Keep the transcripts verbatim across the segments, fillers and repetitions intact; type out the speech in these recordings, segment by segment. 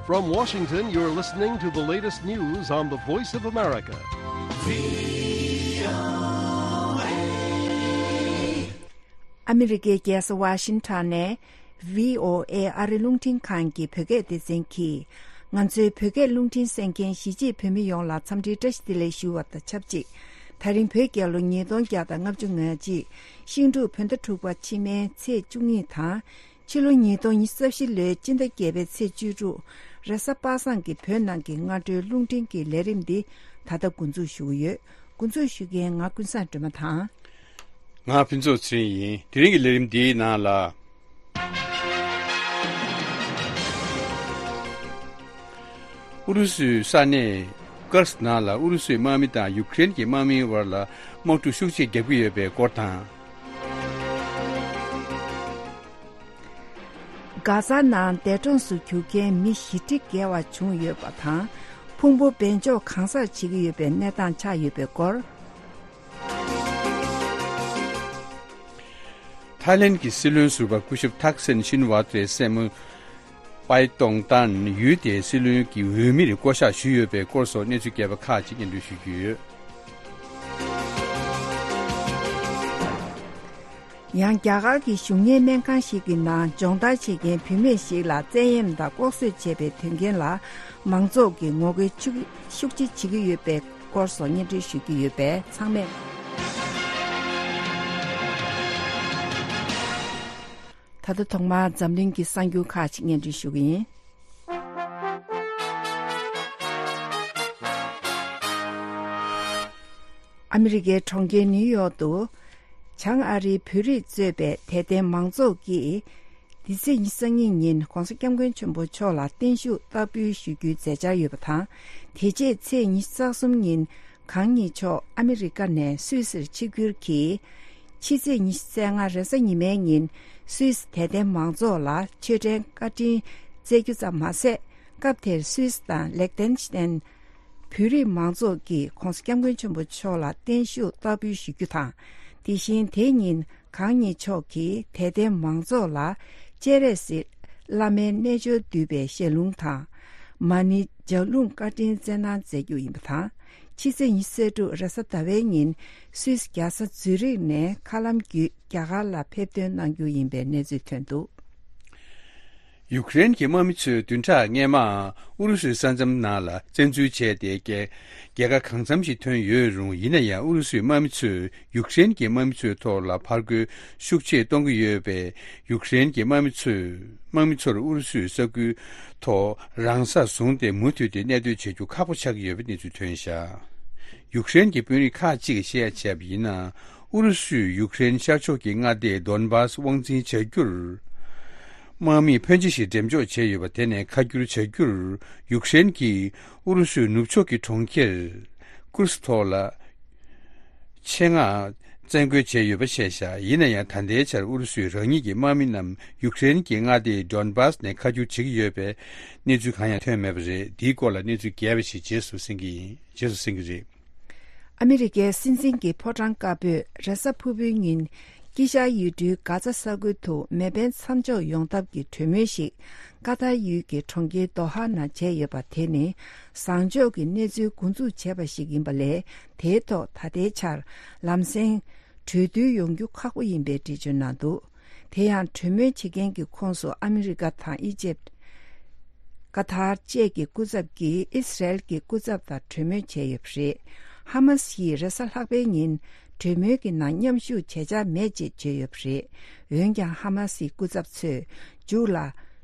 From Washington, you're listening to the latest news on the Voice of America. ཨ་མི་རི་ཀའི་རྒྱལ་ས་ཝ་ཤིང་ཊོན་ནས་བྷི་ཨོ་ཨེ་ཨ་རི་རླུང་འཕྲིན་ཁང་གི་བོད་སྐད་སྡེ་ཚན་གྱིས། ང་ཚོའི་བོད་སྐད་རླུང་འཕྲིན་གསན་མཁན་གཞིས་བྱེས་བོད་མི་ཡོངས་ལ་འཚམས་འདྲིའི་བཀྲ་ཤིས་བདེ་ལེགས་ཞུ་བ་དང་ཆབས་ཅིག། ད་རིང་བོད་རྒྱལ་ལོ་ཉིས་སྟོང་བརྒྱ་དང་ལྔ་བཅུ་ང་གཅིག་ཤིང་འབྲུག་བོད་ཟླ་དྲུག་པ་ཕྱི་མའི་ཚེས་བཅུ་གཉིས་དང་། ཕྱི་ལོ་ཉིས་སྟོང་ཉི་ཤུ་རྩ་བཞི་ལོའི་སྤྱི་ཟླ་བརྒྱད་པའི་ཚེས་བཅུ་དྲུག་རེས་གཟའ་པ་སངས་ཀྱི་བོད་ནང་གི་སྔ་དྲོའི་རླུང་འཕྲིན་གྱི་ལས་རིམ་འདི་ད་ལྟ་འགོ་འཛུགས་ཞུ་གི་ཡོད། འགོ་འཛུགས་ཞུ་མཁན་ང་ཀུན་བཟང་སྒྲོལ་མ་དང་། ང་ཕུན་ཚོགས་ཚེ་རིང་ཡིན། དེ་རིང་གི་ལས་རིམ་འདིའི་ནང་ལ། ཨུ་རུ་སུའི་ས་གནས་ཀར་སི་ནང་ལ་ཨུ་རུ་སུའི་དམག་མི་དང་ཡུཀ་རེན་གྱི་དམག་མིའི་བར་ལ་དམག་འཁྲུག་ཤུགས་ཆེ་རྒྱག་གི་ཡོད་པའི་སྐོར་དང་། གྷ་ཛ་ནང་འདས་གྲོངས་སུ་གྱུར་མཁན་མི་བཞི་ཁྲི་བརྒལ་བ་བྱུང་ཡོད་པ་དང་། ཕུང་པོ་སྦས་འཇོག་གང་སར་བྱེད་ཀྱི་ཡོད་པའི་གནས་སྟངས་ཆགས་ཡོད་པའི་སྐོར། ཐའི་ལེན་གྱི་སྲིད་བློན་ཟུར་པ་སྐུ་ཞབས་ཐག་སན་ཤིན་ཝ་ཏྲའི་སྲས་མོ་པའི་ཏོང་ཏན་ཡུལ་དེའི་སྲིད་བློན་གྱི་འོས་མིར་བསྐོ་གཞག་ཞུས་ཡོད་པའི་སྐོར་སོགས་གནས་ཚུལ་རྒྱས་པ་ཁག་ཅིག་སྙན་སྒྲོན་ཞུ་རྒྱུ་ཡོད། ཡང་རྒྱ་གར་གྱི་གཞུང་གཉེར་སྨན་ཁང་ཞིག་གི་ནང་སྦྱོང་བརྡར་བྱེད་མཁན་བུད་མེད་ཞིག་ལ་བཙན་གཡེམ་དང་ལྐོག་གསོད་བྱས་པའི་དོན་རྐྱེན་ལ་མང་ཚོགས་ཀྱིས་ངོ་རྒོལ་ཤུགས་ཆེ་བྱེད་ཀྱི་ཡོད་པའི་སྐོར་སོགས་སྙན་སྒྲོན་ཞུ་གི་ཡོད་པས་ཚང་མས། ད་ལྟ་ཐོག་མར་འཛམ་གླིང་གི་གསར་འགྱུར་ཁག་ཅིག་སྙན་སྒྲོན་ཞུ་གི་ཡིན། ཨ་མི་རི་ཀའི་གྲོང་ཁྱེར་ནིའུ་ཡོག་ཏུ། བྱང་ཨ་རིའི་བོད་རིགས་གཙོས་པའི་དད་ལྡན་མང་ཚོགས་ཀྱིས། འདི་ཚེས་ཉི་ཤུ་རྩ་གཉིས་ཉིན་༸གོང་ས་༸སྐྱབས་མགོན་ཆེན་པོ་མཆོག་ལ་བརྟན་བཞུགས་བསྟར་འབུལ་ཞུ་རྒྱུའི་མཛད་འཆར་ཡོད་པ་དང་། དེ་རྗེས་ཚེས་ཉི་ཤུ་རྩ་གསུམ་ཉིན་གང་ཉིད་མཆོག་ཨ་མི་རི་ཀ་ནས་སུད་སིར་ཆིབས་བསྒྱུར་གྱིས། ཕྱི་ཚེས་ཉི་ཤུ་རྩ་ལྔ་རེས་གཟའ་ཉི་མའི་ཉིན་སུད་སི་དད་ལྡན་མང་ཚོགས་ལ་ཆོས་ཕྲན་བཀའ་དྲིན་སྩལ་རྒྱུ་ཙམ་མ་ཟད། སྐབས་དེར་སུད་སི་དང་ལེག་ཏེན་ཤི་ཏན་བོད་རིགས་མང་ཚོགས་ཀྱིས་༸གོང་ས་༸སྐྱབས་མགོན་ཆེན་པོ་མཆོག་ལ་བརྟན་བཞུགས་བསྟར་འབུལ་ཞུ་རྒྱུ་དང་། དེ་བཞིན་དེ་ཉིན་གང་ཉིད་མཆོག་གིས་དད་ལྡན་མང་ཚོགས་ལ་སྤྱན་རས་གཟིགས་བླ་མའི་རྣལ་འབྱོར་བསྡུས་པའི་ཞལ་ལུང་དང་། མ་ཎི་ལྗགས་ལུང་བཀའ་དྲིན་སྩལ་གནང་མཛད་རྒྱུ་ཡིན་པ་དང་། ཕྱི་ཚེས་ཉི་ཤུ་རྩ་དྲུག་རེས་གཟའ་ཟླ་བའི་ཉིན་སུད་སི་རྒྱལ་ས་ཛུ་རིག་ནས་མཁའ་ལམ་བརྒྱུད་རྒྱ་གར་ལ་ཕེབས་ཐོན་གནང་རྒྱུ་ཡིན་པའི་གནས་ཚུལ་ཐོན་འདུག། ཡུཀ་རེན་གྱི་དམག་མི་ཚོས་བདུན་ཕྲག་སྔོན་མ་ཨུ་རུ་སུའི་ས་མཚམས་ནང་ལ་བཙན་འཛུལ་བྱས་ཏེ། རྒྱལ་རྒྱལ་ཁ་གང་འཚམ་ཞིག་ཐོན་ཡོད་རུང་། ཡིན་ན་ཡང་ཨུ་རུ་སུའི་དམག་མི་ཚོས་ཡུཀ་རེན་གྱི་དམག་མི་ཚོའི་ཐོག་ལ་ཕར་རྒོལ་ཤུགས་ཆེ་གཏོང་གི་ཡོད་པས། ཡུཀ་རེན་གྱི་དམག་མི་ཚོས་དམག་མི་ཚོར་ཨུ་རུ་སུའི་ས་ཁུལ་ཐོག་རང་ས་བཟུང་སྟེ་མུ་མཐུད་དེ་གནས་སྡོད་བྱེད་རྒྱུ་ཁག་པོ་ཆགས་ཀྱི་ཡོད་པའི་གནས་ཚུལ་ཐོན་བཞག། ཡུཀ་རེན་གྱི་དཔོན་རིགས་ཁག་ཅིག་གིས་བཤད་ཡ་བྱས་པ་ཡིན་ན། ཨུ་རུ་སུས་ཡུཀ་རེན་ཤར་ཕྱོགས་ཀྱི་མངའ་སྡེ་ཌོན་བཱས་དབང་འཛིན་བྱ་རྒྱུར། དམག་མིས་ཕོན་ཆེ་ཞིག་འགྲེམས་འཇོག་བྱས་ཡོད་པ་དེ་ནས་ཁ་བསྒྱུར་བྱ་རྒྱུར། ཡུཀ་རེན་གྱིས་ཨུ་རུ་སུའི་ནུབ་ཕྱོགས་ཀྱི་གྲོང་ཁྱེར་ཀུར་སི་ཐོག་ལ། ཆེད་མངགས་བཙན་རྒོལ་བྱས་ཡོད་པ་བཤད་བཞག། ཡིན་ན་ཡང་ད་ལྟའི་ཆར་ཨུ་རུ་སུས་རང་ཉིད་ཀྱི་དམག་མི་རྣམས་ཡུཀ་རེན་གྱི་མངའ་སྡེ་ཌོན་བཱས་ནས་ཁ་བསྒྱུར་བྱེད་ཀྱི་ཡོད་པའི་གནས་ཚུལ་གང་ཡང་ཐོན་མེད་པ་རེད། འདིའི་སྐོར་ལ་གནས་ཚུལ་རྒྱས་པ་ཞིག་རྗེས་སུ་གསན་གྱི་ཡིན། རྗེས་སུ་གསན་གྱི་རེད། ཨ་མི་རི་ཀའི་སྲིད་འཛིན་གྱི་ཕོ་བྲང་དཀར་པོས་རེས་གཟའ་ཕུར་བུའི་ཉིན་དཀྱིལ་ཤར་ཡུལ་གྲུའི་གྷ་ཛ་ས་ཁུལ་དུ་མེ་འཕེན་མཚམས་འཇོག་ཡོང་ཐབས་ཀྱི་གྲོས་མོལ་ཞིག་ཀ་ཏར་ཡུལ་གྱི་གྲོང་ཁྱེར་དོ་ཧ་ནང་བྱས་ཡོད་པ་དེ་ནི་བཟང་ཕྱོགས་ཀྱི་གནས་ཚུལ་འགོ་འཛུགས་བྱས་པ་ཞིག་ཡིན་པ་ལས། དེའི་ཐོག་ད་ལྟའི་ཆར་ལམ་སེང་གྲོས་བསྡུར་ཡོང་རྒྱུ་ཁག་པོ་ཡིན་པའི་འགྲེལ་བརྗོད་གནང་འདུག། དེ་ཡང་གྲོས་མོལ་བྱེད་མཁན་གྱི་ཁོངས་སུ་ཨ་མི་རི་ཀ་དང་ཨི་ཇེབ། ཀ་ཐར་བཅས་ཀྱི་སྐུ་ཚབ་ཀྱིས་ཨི་སི་རལ་གྱི་སྐུ་ཚབ་དང་གྲོས་མོལ་བྱས་ཡོད་པ་རེད། ཧ་མ་སི་ཡིས་རེས་གཟའ་ལྷག་པའི་ཉིན་གྲོས་མོལ་གྱི་ནང་མཉམ་ཞུགས་བྱེད་འཆར་མེད་ཅེས་བརྗོད་ཡོད་པ་རེད། འོན་ཀྱང་ཧ་མ་སིའི་སྐུ་ཚབ་ཚོས་མཇུག་ལ་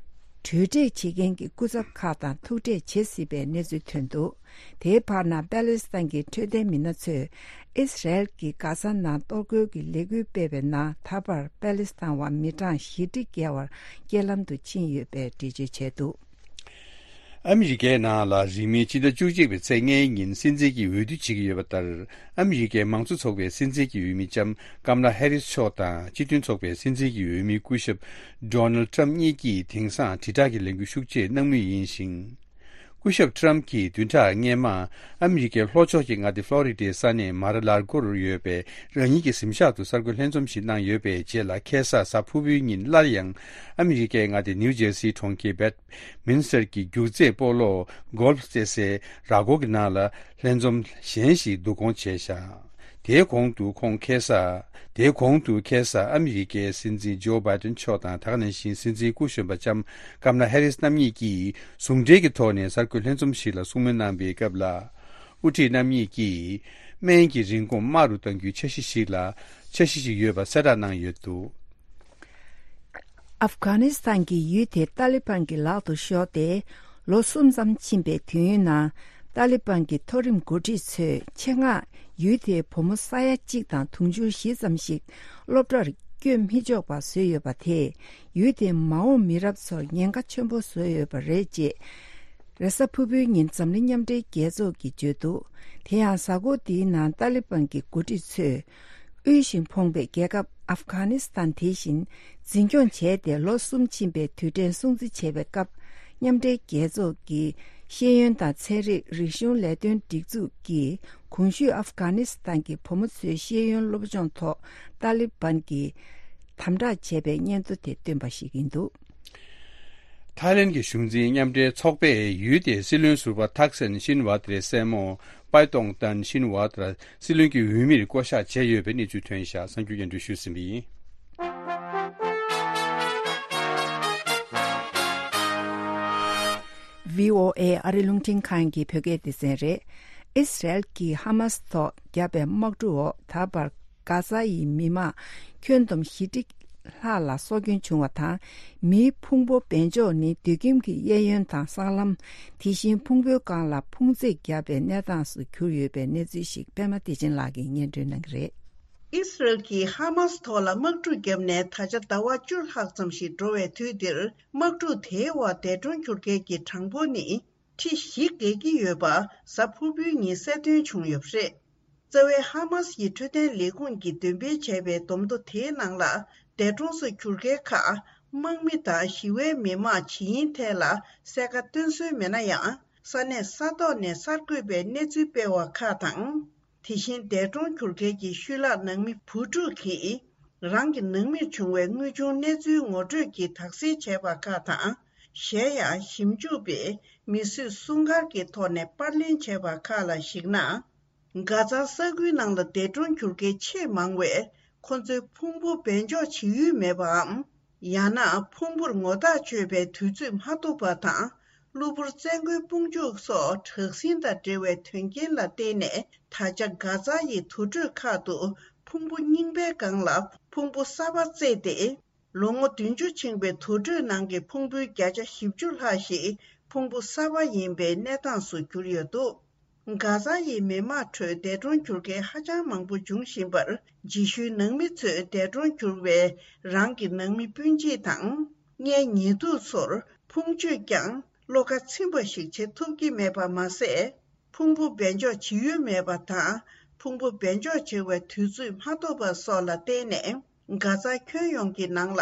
གྲོས་འབྲེལ་བྱེད་མཁན་གྱི་སྐུ་ཚབ་ཁག་དང་ཐུག་འཕྲད་བྱེད་སྲིད་པའི་གནས་ཚུལ་ཐོན་འདུག། དེའི་བར་ན་པ་ལེ་སི་ཐན་གྱི་འཕྲོད་བསྟེན་མི་སྣ་ཚོས་ཨི་སི་རལ་གྱིས་གྷ་ས་ནང་གཏོར་རྒོལ་གྱི་ལས་འགུལ་སྤེལ་བའི་ནང་ད་བར་པ་ལེ་སི་ཐན་བ་མི་གྲངས་བཞི་ཁྲི་བརྒལ་བ་རྐྱེན་ལམ་དུ་ཕྱིན་ཡོད་པའི་འགྲེལ་བརྗོད་བྱས་འདུག། ཨ་མི་རི་ཀའི་ནང་ལ་རིང་མིན་སྤྱི་ཟླ་བཅུ་གཅིག་པའི་ཚེས་ལྔའི་ཉིན་སྲིད་འཛིན་གྱི་འོས་བསྡུ་བྱེད་ཀྱི་ཡོད་པ་ལྟར། ཨ་མི་རི་ཀའི་མང་གཙོ་ཚོགས་པའི་སྲིད་འཛིན་གྱི་འོས་མི་ལྕམ་ཀམ་ལ་ཧེ་རིས་མཆོག་དང་སྤྱི་མཐུན་ཚོགས་པའི་སྲིད་འཛིན་གྱི་འོས་མི་སྐུ་ཞབས་ཌོ་ནལ་ཊམ་གཉིས་ཀྱིས་དེང་སང་དྲིལ་བསྒྲགས་ཀྱི་ལས་འགུལ་ཤུགས་ཆེ་གནང་མུས་ཡིན་ཞིང་། སྐུ་ཞབས་ཊམ་གྱིས་བདུན་ཕྲག་སྔོན་མ་ཨ་མི་རི་ཀའི་ལྷོ་ཕྱོགས་ཀྱི་མངའ་སྡེ་ཕློ་རི་ཌའི་ས་གནས་མར་ལར་གོར་ཡོད་པའི་རང་ཉིད་ཀྱི་གཟིམ་ཤག་ཏུ་གསར་འགོད་ལྷན་འཛོམས་ཤིག་གནང་ཡོད་པའི་རྗེས་ལ། ཁ་སང་གཟའ་ཕུར་བུའི་ཉིན་སླར་ཡང་ཨ་མི་རི་ཀའི་མངའ་སྡེ་ནིའུ་ཇེར་སིའི་གྲོང་ཁྱེར་བེད་མིན་སི་ཊར་གྱི་རྒྱུག་རྩེད་སྤོ་ལོ་གོལ་ཕ་རྩེད་སའི་ར་སྐོར་གྱི་ནང་ལ་ལྷན་འཛོམས་གཞན་ཞིག་བསྡུ་སྐོང་བྱས་བཞག་དེའི་གོང་དུ་ཁོང་ཁ་སང་། དེའི་གོང་དུ་ཁ་སང་ཨ་མི་རི་ཀའི་སྲིད་འཛིན་ཇོ་བྷའི་ཏན་མཆོག་དང་། ད་ག་ནང་བཞིན་སྲིད་འཛིན་སྐུ་གཞོན་པ་ལྕམ་ཀམ་ལ་ཧེ་རིས་རྣམ་གཉིས་ཀྱིས་ཟུང་འབྲེལ་གྱི་ཐོག་ནས་གསར་འགོད་ལྷན་འཛོམས་ཤིག་ལ་གསུང་མོལ་གནང་བའི་སྐབས་ལ། དབུ་ཁྲིད་རྣམ་གཉིས་ཀྱིས་སྨན་གྱི་རིན་གོང་དམའ་རུ་གཏང་རྒྱུའི་འཆར་གཞི་ཞིག་ལ། འཆར་གཞི་ཞིག་ཡོད་པ་གསལ་བསྒྲགས་གནང་ཡོད་འདུག་ཨབ་གྷ་ནི་སི་ཐན་གྱི་ཡུལ་དེ་ཏཱ་ལི་བན་གྱི་ལག་ཏུ་ཤོར་ཏེ་ལོ་གསུམ་ཙམ་ཕྱིན་པའི་དུས་ཡུན་ནང་། ཏཱ་ལི་བན་གྱི་མཐོ་རིམ་འགོ་ཁྲིད་ཚོས་ཆེད་མངགས་ཡུལ་དེའི་བུ་མོ་ས་ཡ་གཅིག་དང་དུང་ཕྱུར་བཞི་ཙམ་ཞིག་སློབ་གྲྭར་བསྐྱོད་མི་ཆོག་པ་བཟོས་ཡོད་པ་དེས། ཡུལ་དེའི་མ་འོངས་མི་རབས་ཚོར་ཉེན་ཁ་ཆེན་པོ་བཟོས་ཡོད་པ་རེད་ཅེས། རེས་གཟའ་ཕུར་བུའི་ཉིན་འཛམ་གླིང་མཉམ་འབྲེལ་རྒྱལ་ཚོགས་ཀྱིས་བརྗོད་འདུག་དེ་ཡང་གཟའ་འཁོར་འདིའི་ནང་ཏཱ་ལི་བན་གྱི་འགོ་ཁྲིད་ཚོས། དབུལ་ཞིང་ཕོངས་པའི་རྒྱལ་ཁབ་ཨབ་གྷ་ནི་སི་ཐན་དེ་བཞིན་འཛིན་སྐྱོང་བྱས་ཏེ་ལོ་གསུམ་ཕྱིན་པའི་དུས་དྲན་སྲུང་བརྩི་བྱེད་པའི་སྐབས། མཉམ་འབྲེལ་རྒྱལ་ཚོགས་ཀྱི་ཤེས་ཡོན་དང་ཚན་རིག་རིག་གཞུང་ལས་དོན་སྒྲིག་འཛུགས་ཀྱིས་གོང་ཞུས་ཨབ་གྷ་ནི་སི་ཐན་གྱི་བུ་མོ་ཚོའི་ཤེས་ཡོན་སློབ་སྦྱོང་ཐོག་ཏཱ་ལི་བན་གྱིས་དམ་དྲག་བྱས་པའི་སྙན་ཐོ་དེ་བཏོན་པ་ཞིག་ཡིན་འདུག་ཐའི་ལེན་གྱི་གཞུང་འཛིན་མཉམ་འབྲེལ་ཚོགས་པས་ཡུལ་དེའི་སྲིད་བློན་ཟུར་པ་ཐག་སན་ཤིན་ཝ་ཏྲའི་སྲས་མོ་པའི་ཏོང་ཏན་ཤིན་ཝ་ཏྲ་སྲིད་བློན་གྱི་འོས་མིར་བསྐོ་གཞག་བྱས་ཡོད་པའི་གནས་ཚུལ་ཐོན་བཞག་གསར་འགྱུར་སྙན་སྒྲོན་ཞུས་ཟིན་པ་ཡིན། ཝི་ཨོ་ཨེ་ཨ་རི་རླུང་འཕྲིན་ཁང་གི་བོད་སྐད་སྡེ་ཚན་རེད། ཨིས་རལ་གྱིས་ཧ་མཱས་ཐོག་བརྒྱབ་པའི་དམག་འཁྲུག་འོག་ད་བར་གྷ་ཛ་ཡི་མི་མང་ཁྱོན་བསྡོམས་བཞི་ཁྲི་ལྷག་ལ་སྲོག་སྐྱོན་བྱུང་བ་དང་། མིའི་ཕུང་པོ་སྦས་འཇོག་ནི་དུད་ཁྱིམ་གྱི་གཡས་གཡོན་དང་སྲང་ལམ། དེ་བཞིན་ཕུང་པོའི་སྒང་ལ་ཕུང་རྩེག་བརྒྱབ་པའི་གནས་སྟངས་སུ་གྱུར་ཡོད་པའི་གནས་ཚུལ་ཞིག་པད་མ་བདེ་ཆེན་ལགས་ཀྱིས་སྙན་སྒྲོན་གནང་གི་རེད། ཨིས་རལ་གྱིས་ཧ་མཱས་ཐོག་ལ་དམག་འཁྲུག་བརྒྱབ་ནས་ད་ཆ་ཟླ་བ་བཅུ་ལྷག་ཙམ་ཞིག་འགྲོ་བའི་དུས་འདིར། དམག་འཁྲུག་དེའི་འོག་འདས་གྲོངས་གྱུར་མཁན་གྱི་གྲངས་འབོར་ནི་ཁྲི་བཞི་བརྒལ་གྱི་ཡོད་པ་གཟའ་ཕུར་བུའི་ཉིན་གསལ་སྟོན་བྱུང་ཡོད་པ་རེད། རྩ་བའི་ཧ་མཱས་ཀྱི་འཕྲོད་བསྟེན་ལས་ཁུངས་ཀྱིས་འདོན་སྤེལ་བྱས་པའི་བསྡོམས་ཐོ་དེའི་ནང་ལ། འདས་གྲོངས་སུ་གྱུར་མཁན་ཁག་དམག་མི་དང་ཞི་བའི་མི་མང་ཇི་ཡིན་ཐད་ལ་གསལ་ཁ་སྟོན་སྲོལ་མེད་ན་ཡང་། ས་གནས་ས་ཐོག་ནས་གསར་འགོད་པས་གནས་ཚུལ་སྤེལ་བ་ཁག་དང་། དེ་བཞིན་འདས་གྲོངས་གྱུར་མཁན་གྱི་ཤུལ་ལྷག་ནང་མི་བུ་ཕྲུག་གིས་རང་གི་ནང་མིར་བྱུང་བའི་དངོས་བྱུང་གནས་ཚུལ་ངོ་སྤྲོད་ཀྱིས་དག་སེལ་བྱས་པ་ཁག་དང་། གཞན་ཡང་ཞིབ་འཇུག་པས་མི་གསོད་སྲུང་སྐར་གྱི་ཐོག་ནས་པར་ལེན་བྱས་པ་ཁག་ལ་གཞིགས་ན། གྷ་ཛ་ས་ཁུལ་ནང་ལ་འདས་གྲོངས་གྱུར་མཁན་ཆེས་མང་བས་ཁོ་ཚོའི་ཕུང་པོ་སྦས་འཇོག་བྱེད་ཡུལ་མེད་པའམ། ཡང་ན་ཕུང་པོར་ངོ་རྟགས་ཆོད་པའི་དུས་ཚོད་མ་ཐུབ་པ་དང་། གློ་བུར་བཙན་རྒོལ་དཔུང་འཇུག་སོགས་དྲག་ཟིང་དང་འབྲེལ་བའི་དོན་རྐྱེན་ལ་བརྟེན་ནས། ད་ཆ་གྷ་ཛ་ཡི་དུར་ཁྲོད་ཁག་ཏུ་ཕུང་པོ་རྙིང་པའི་སྒང་ལ་ཕུང་པོ་གསར་པ་བརྩེགས་ཏེ། ལོ་ངོ་བདུན་ཅུ་ཕྱིན་པའི་དུར་ཁྲོད་ནང་གི་ཕུང་པོའི་བརྒྱ་ཆ་བཞི་བཅུ་ལྷག་ཞིག་ཕུང་པོ་གསར་པ་ཡིན་པའི་གནས་སྟངས་སུ་གྱུར་ཡོད་འདུག་གྷ་ཛ་ཡི་མི་དམངས་ཁྲོད་འདས་གྲོངས་གྱུར་མཁན་ཧ་ཅང་མང་པོ་འབྱུང་བཞིན་པར། རྗེས་ཤུལ་ནང་མི་ཚོས་འདས་གྲོངས་གྱུར་བའི་རང་གི་ནང་མི་སྤུན་མཆེད་དང་། མངལ་ཉེ་དུ་ཚོར་ཕུང་མཆོད་ཀྱང་བློ་ཁ་ཚིམ་པ་ཞིག་བྱེད་ཐུབ་ཀྱི་མེད་པ་མ་ཟད། ཕུང་པོ་སྦས་འཇོག་བྱེད་ཡུལ་མེད་པ་དང་། ཕུང་པོ་སྦས་འཇོག་བྱེད་པའི་དུས་ཚོད་མ་ཐོབ་པ་སོགས་ལ་བརྟེན་ནས། གྷ་ཛ་ཁྱོན་ཡོངས་ཀྱི་ནང་ལ་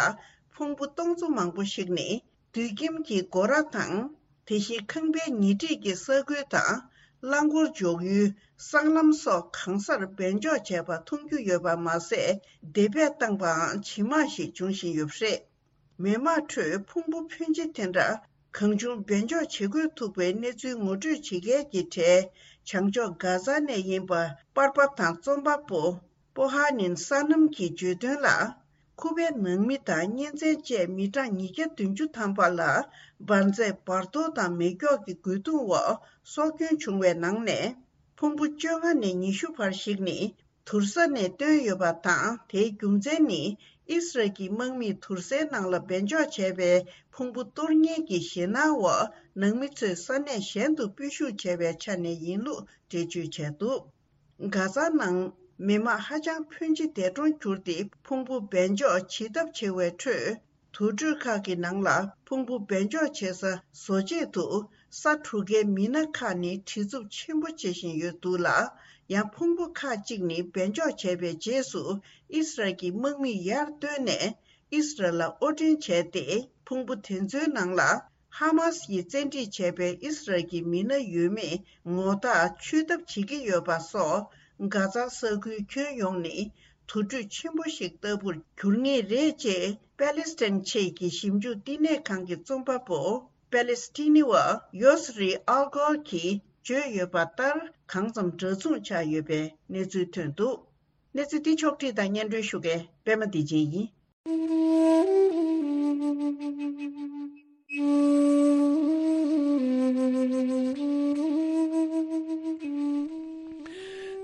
ཕུང་པོ་སྟོང་ཚོ་མང་པོ་ཞིག་ནི། དུད་ཁྱིམ་གྱི་སྒོ་ར་དང་། དེ་བཞིན་ཁང་པའི་ཉེ་འཁྲིས་ཀྱི་ས་ཁུལ་དང་། རླངས་འཁོར་འཇོག་ཡུལ། སྲང་ལམ་སོགས་གང་སར་སྦས་འཇོག་བྱས་པ་མཐོང་རྒྱུ་ཡོད་པ་མ་ཟད། འདེད་པས་བཏང་པའང་ཇེ་མང་ཞིག་འབྱུང་བཞིན་ཡོད་པ་རེད། མི་དམངས་ཁྲོད་ཕུང་པོ་ཕོན་ཆེ་དེ་འདྲ་གང་བྱུང་སྦས་འཇོག་བྱེད་དགོས་ཐུག་པའི་གནས་ཚུལ་ངོ་སྤྲོད་བྱེད་མཁན་གྱི་གྲས། བྱང་ཕྱོགས་གྷ་ཛ་ནས་ཡིན་པ་པར་པ་དང་རྩོམ་པ་པོ། པོ་ཧ་ནིན་སཱ་ནམ་གྱིས་བརྗོད་དོན་ལ། ཁུ་པའི་ནང་མི་དང་གཉེན་ཚན་བཅས་མི་གྲངས་ཉིས་བརྒྱ་བདུན་ཅུ་ཐམ་པ་ལ་འབར་རྫས་འབར་གཏོར་དང་མེ་སྒྱོགས་ཀྱི་རྒོལ་རྡུང་འོག་སྲོག་སྐྱོན་བྱུང་བའི་ནང་ནས། ཕུང་པོ་བཅོ་ལྔ་ནས་ཉི་ཤུ་བར་ཞིག་ནི་དུར་ས་ནས་བཏོན་ཡོད་པ་དང་། དེའི་རྒྱུ་མཚན་ནི་ཨིས་རལ་གྱི་དམག་མིས་དུར་སའི་ནང་ལ་སྦས་འཇོག་བྱས་པའི་ཕུང་པོ་གཏོར་ཉེན་གྱི་ཞེད་སྣང་འོག་ནང་མི་ཚོས་ས་གནས་གཞན་དུ་སྤོས་ཤུགས་བྱས་པའི་ཆ་ནས་ཡིན་ལུགས་འགྲེལ་བརྗོད་བྱས་འདུག་གྷ་ཛ་ནང་མི་དམངས་ཧ་ཅང་ཕོན་ཆེ་འདས་གྲོངས་གྱུར་ཏེ། ཕུང་པོ་སྦས་འཇོག་བྱེད་ཐབས་ཆེ་བའི་ཁྲོད། དུར་ཁྲོད་ཁག་གི་ནང་ལ་ཕུང་པོ་སྦས་འཇོག་བྱེད་ས་བཟོ་ཆེད་དུ་ས་གྲུ་ཁའི་མི་སྣ་ཁག་ནི་བྲེལ་འཚུབ་ཆེན་པོ་བྱེད་བཞིན་ཡོད་འདུག་ལ། ཡང་ཕུང་པོ་ཁག་ཅིག་ནི་སྦས་འཇོག་བྱས་པའི་རྗེས་སུ་ཨིས་རལ་གྱི་དམག་མིས་ཡར་བཏོན་ནས་ཨིས་རལ་ལ་དབོར་འདྲེན་བྱས་ཏེ། ཕུང་པོ་དེ་ཚོའི་ནང་ལ་ ཧ་མ་སི་ཡིས་བཙན་ཁྲིད་བྱས་པའི་ཨི་སི་རལ་གྱི་མི་སྣ་ཡོད་མེད་ངོ་རྟགས་ཆོད་ཐབས་བྱེད་ཀྱི་ཡོད་པ་སོགས། གྷ་ཛ་ས་ཁུལ་ཁྱོན་ཡོངས་ནི་དུར་ཁྲོད་ཆེན་པོ་ཞིག་ལྟ་བུར་འགྱུར་ངེས་རེད་ཅེས་པེ་ལེ་སི་ཐན་ཆེད་ཀྱི་ཞིབ་འཇུག་བསྟི་གནས་ཁང་གི་རྩོམ་པ་པོ། པེ་ལེ་སི་ཐི་ནི་བ་ཡོ་སི་རི་ཨལ་གོར་གྱིས་བརྗོད་ཡོད་པ་ལྟར། གང་ཙམ་འདྲ་མཚུངས་ཆགས་ཡོད་པའི་གནས་ཚུལ་ཐོན་འདུག། གནས་ཚུལ་འདི་ཕྱོགས་བསྒྲིགས་དང་སྙན་སྒྲོན་ཞུ་མཁན་པད་མ་བདེ་ཆེན་ཡིན།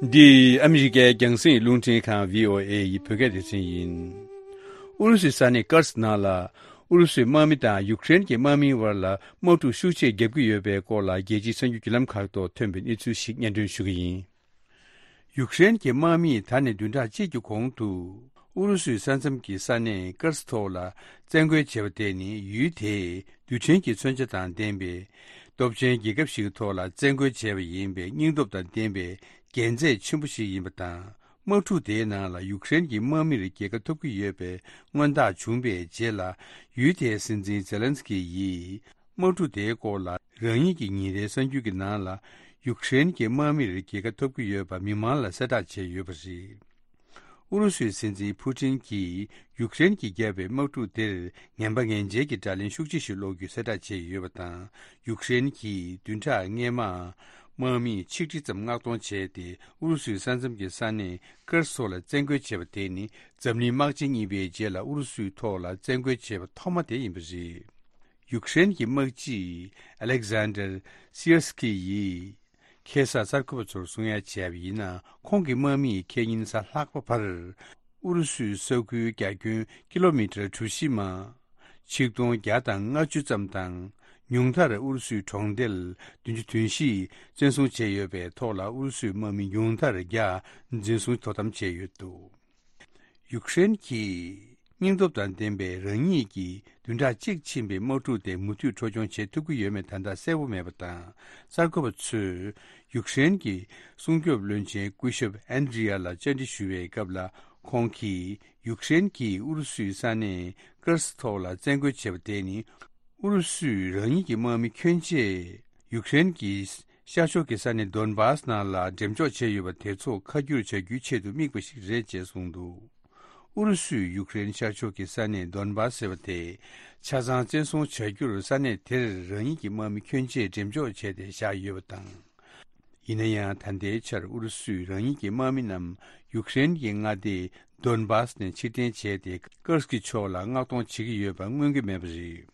འདི་ཨ་མི་རི་ཀའི་རྒྱང་སྲིང་རླུང་འཕྲིན་ཁང་བྷི་ཨོ་ཨེ་ཡི་བོད་སྐད་སྡེ་ཚན་ཡིན། ཨུ་རུ་སུའི་ས་གནས་ཀར་སི་ནང་ལ། ཨུ་རུ་སུའི་དམག་མི་དང་ཡུཀ་རེན་གྱི་དམག་མིའི་བར་ལ་དམག་འཁྲུག་ཤུགས་ཆེ་བརྒྱབ་ཀྱི་ཡོད་པའི་སྐོར་ལ། རྒྱལ་སྤྱིའི་གསར་འགྱུར་བརྒྱུད་ལམ་ཁག་ཐོག་ཐོན་པའི་གནས་ཚུལ་ཞིག་སྙན་སྒྲོན་ཞུ་གི་ཡིན། ཡུཀ་རེན་གྱི་དམག་མིས་ད་ནས་བདུན་ཕྲག་གཅིག་གི་གོང་དུ། ཨུ་རུ་སུའི་ས་མཚམས་ཀྱི་ས་གནས་ཀར་སི་ཐོག་ལ་བཙན་རྒོལ་བྱས་པ་དེ་ནི། ཡུལ་དེའི་རྡུལ་ཕྲན་གྱི་མཚོན་ཆ་དང་ལྡན་པའི་སྟོབས་ཆེན་རྒྱལ་ཁབ་ཞིག་གི་ཐོག་ལ་བཙན་རྒོལ་བྱས་པ་ཡིན་པའི་སྙིང་སྟོབས་དང་ལྡན་པའི་འགན་ཚད་ཆེན་པོ་ཞིག་ཡིན་པ་དང་། དམག་འཁྲུག་དེའི་ནང་ལ་ཡུཀ་རེན་གྱི་དམག་མིར་རྒྱལ་ཁ་ཐོབ་ཀྱི་ཡོད་པའི་མངོན་རྟགས་བྱུང་པའི་རྗེས་ལ། ཡུལ་དེའི་སྲིད་འཛིན་ཛེ་ལན་སི་ཀི་ཡིས། དམག་འཁྲུག་དེའི་སྐོར་ལ་རང་ཉིད་ཀྱི་ཉིན་རེའི་གསར་འགྱུར་གྱི་ནང་ལ། ཡུཀ་རེན་གྱི་དམག་མིར་རྒྱལ་ཁ་ཐོབ་ཀྱི་ཡོད་པ་མི་མང་ལ་གསལ་བསྒྲགས་བྱས་ཡོད་པ་རེད། ཨུ་རུ་སུའི་སྲིད་འཛིན་ཕུ་ཊིན་གྱིས་ཡུཀ་རེན་གྱིས་བརྒྱབ་པའི་དམག་འཁྲུག་དེར་ངན་པ་ངན་འཇལ་གྱི་དགྲ་ལན་ཤུགས་ཆེ་ཞིག་སློག་རྒྱུའི་གསལ་བསྒྲགས་བྱས་ཡོད་པ་དང་། ཡུཀ་རེན་གྱིས་བདུན་ཕྲག་སྔོན་མ་དམག་མི་ཆིག་ཁྲི་ཙམ་མངགས་གཏོང་བྱས་ཏེ། ཨུ་རུ་སུའི་ས་མཚམས་ཀྱི་ས་གནས་ཀར་སོགས་ལ་བཙན་རྒོལ་བྱས་པ་དེ་ནི་འཛམ་གླིང་དམག་ཆེན་གཉིས་པའི་རྗེས་ལ་ཨུ་རུ་སུའི་ཐོག་ལ་བཙན་རྒོལ་བྱས་པ་ཐོག་མ་དེ་ཡིན་པ་རེད། ཡུཀ་རེན་གྱི་དམག་སྤྱི་ཨ་ལེག་ཟན་ཌར་སི་ཡར་སི་ཀི་ཡིས་ཁ་སང་གསར་འགོད་པ་ཚོར་གསུང་ཡ་བྱས་པ་ཡིན་ན། ཁོང་གི་དམག་མིས་ཁེ་ཉིན་གཟའ་ལྷག་པ་བར་ཨུ་རུ་སུའི་ས་ཁུལ་རྒྱ་ཁྱོན་ཀི་ལོ་མི་ཊར་གྲུ་བཞི་མ། ཆིག་སྟོང་བརྒྱ་དང་ལྔ་བཅུ་ཙམ་དང་། ཉུང་མཐར་ཨུ་རུ་སུའི་གྲོང་རྡལ་བདུན་ཅུ་དོན་བཞི་བཙན་བཟུང་བྱས་ཡོད་པའི་ཐོག་ལ། ཨུ་རུ་སུའི་དམག་མི་ཉུང་མཐར་བརྒྱ་འཛིན་བཟུང་དོ་དམ་བྱས་ཡོད་འདུག། ཡུཀ་རེན་གྱིས་སྙིང་སྟོབས་དང་ལྡན་པའི་རང་ཉིད་ཀྱིས་བདུན་ཕྲག་གཅིག་ཕྱིན་པའི་དམག་འཁྲུག་དེ་མུ་མཐུད་འཕྲོ་སྐྱོང་བྱེད་ཐུབ་ཀྱི་ཡོད་མེད་ད་ལྟ་གསལ་པོ་མེད་པ་དང་། གསར་འགོད་པ་ཚོས་ཡུཀ་རེན་གྱི་སྲུང་སྐྱོབ་བློན་ཆེན་སྐུ་ཞབས་ཨན་ཌི་རི་ཡ་ལ་བཅར་འདྲི་ཞུ་བའི་སྐབས་ལ། ཁོང་གིས་ཡུཀ་རེན་གྱིས་ཨུ་རུ་སུའི་ས་གནས་ཀར་སི་ཐོག་ལ་བཙན་རྒོལ་བྱས་པ་དེ་ནི། ཨུ་རུ་སུས་རང་ཉིད་ཀྱི་དམག་མི་ཁྱོན་ཆེ་ཡུཀ་རེན་གྱི་ཤར་ཕྱོགས་ཀྱི་ས་གནས་དོན་བཱས་ནང་ལ་འགྲེམས་འཇོག་བྱས་ཡོད་པ་དེ་ཚོ་ཁ་བསྒྱུར་བྱ་རྒྱུའི་ཆེད་དུ་དམིགས་པ་ཞིག་རེད་ཅེས་གསུངས་འདུག། ཨུ་རུ་སུས་ཡུཀ་རེན་ཤར་ཕྱོགས་ཀྱི་ས་གནས་དོན་བཱས་ཟེར་བ་དེ་ཆ་ཚང་བཙན་བཟུང་བྱ་རྒྱུར་ས་གནས་དེར་རང་ཉིད་ཀྱི་དམག་མི་ཁྱོན་ཆེ་འགྲེམས་འཇོག་བྱས་ཏེ་བཞག་ཡོད་པ་དང་། ཡིན་ན་ཡང་། ད་ལྟའི་ཆར་ཨུ་རུ་སུས་རང་ཉིད་ཀྱི་དམག་མི་རྣམས་ཡུཀ་རེན་གྱི་མངའ་སྡེ་དོན་བཱས་ནས་ཕྱིར་འཐེན་བྱས་ཏེ། ཀར་སི་ཀི་ཕྱོགས་ལ་མངགས་གཏོང་བྱེད་ཀྱི་ཡོད་པ་མངོན་གྱི་མེད་པ་རེད།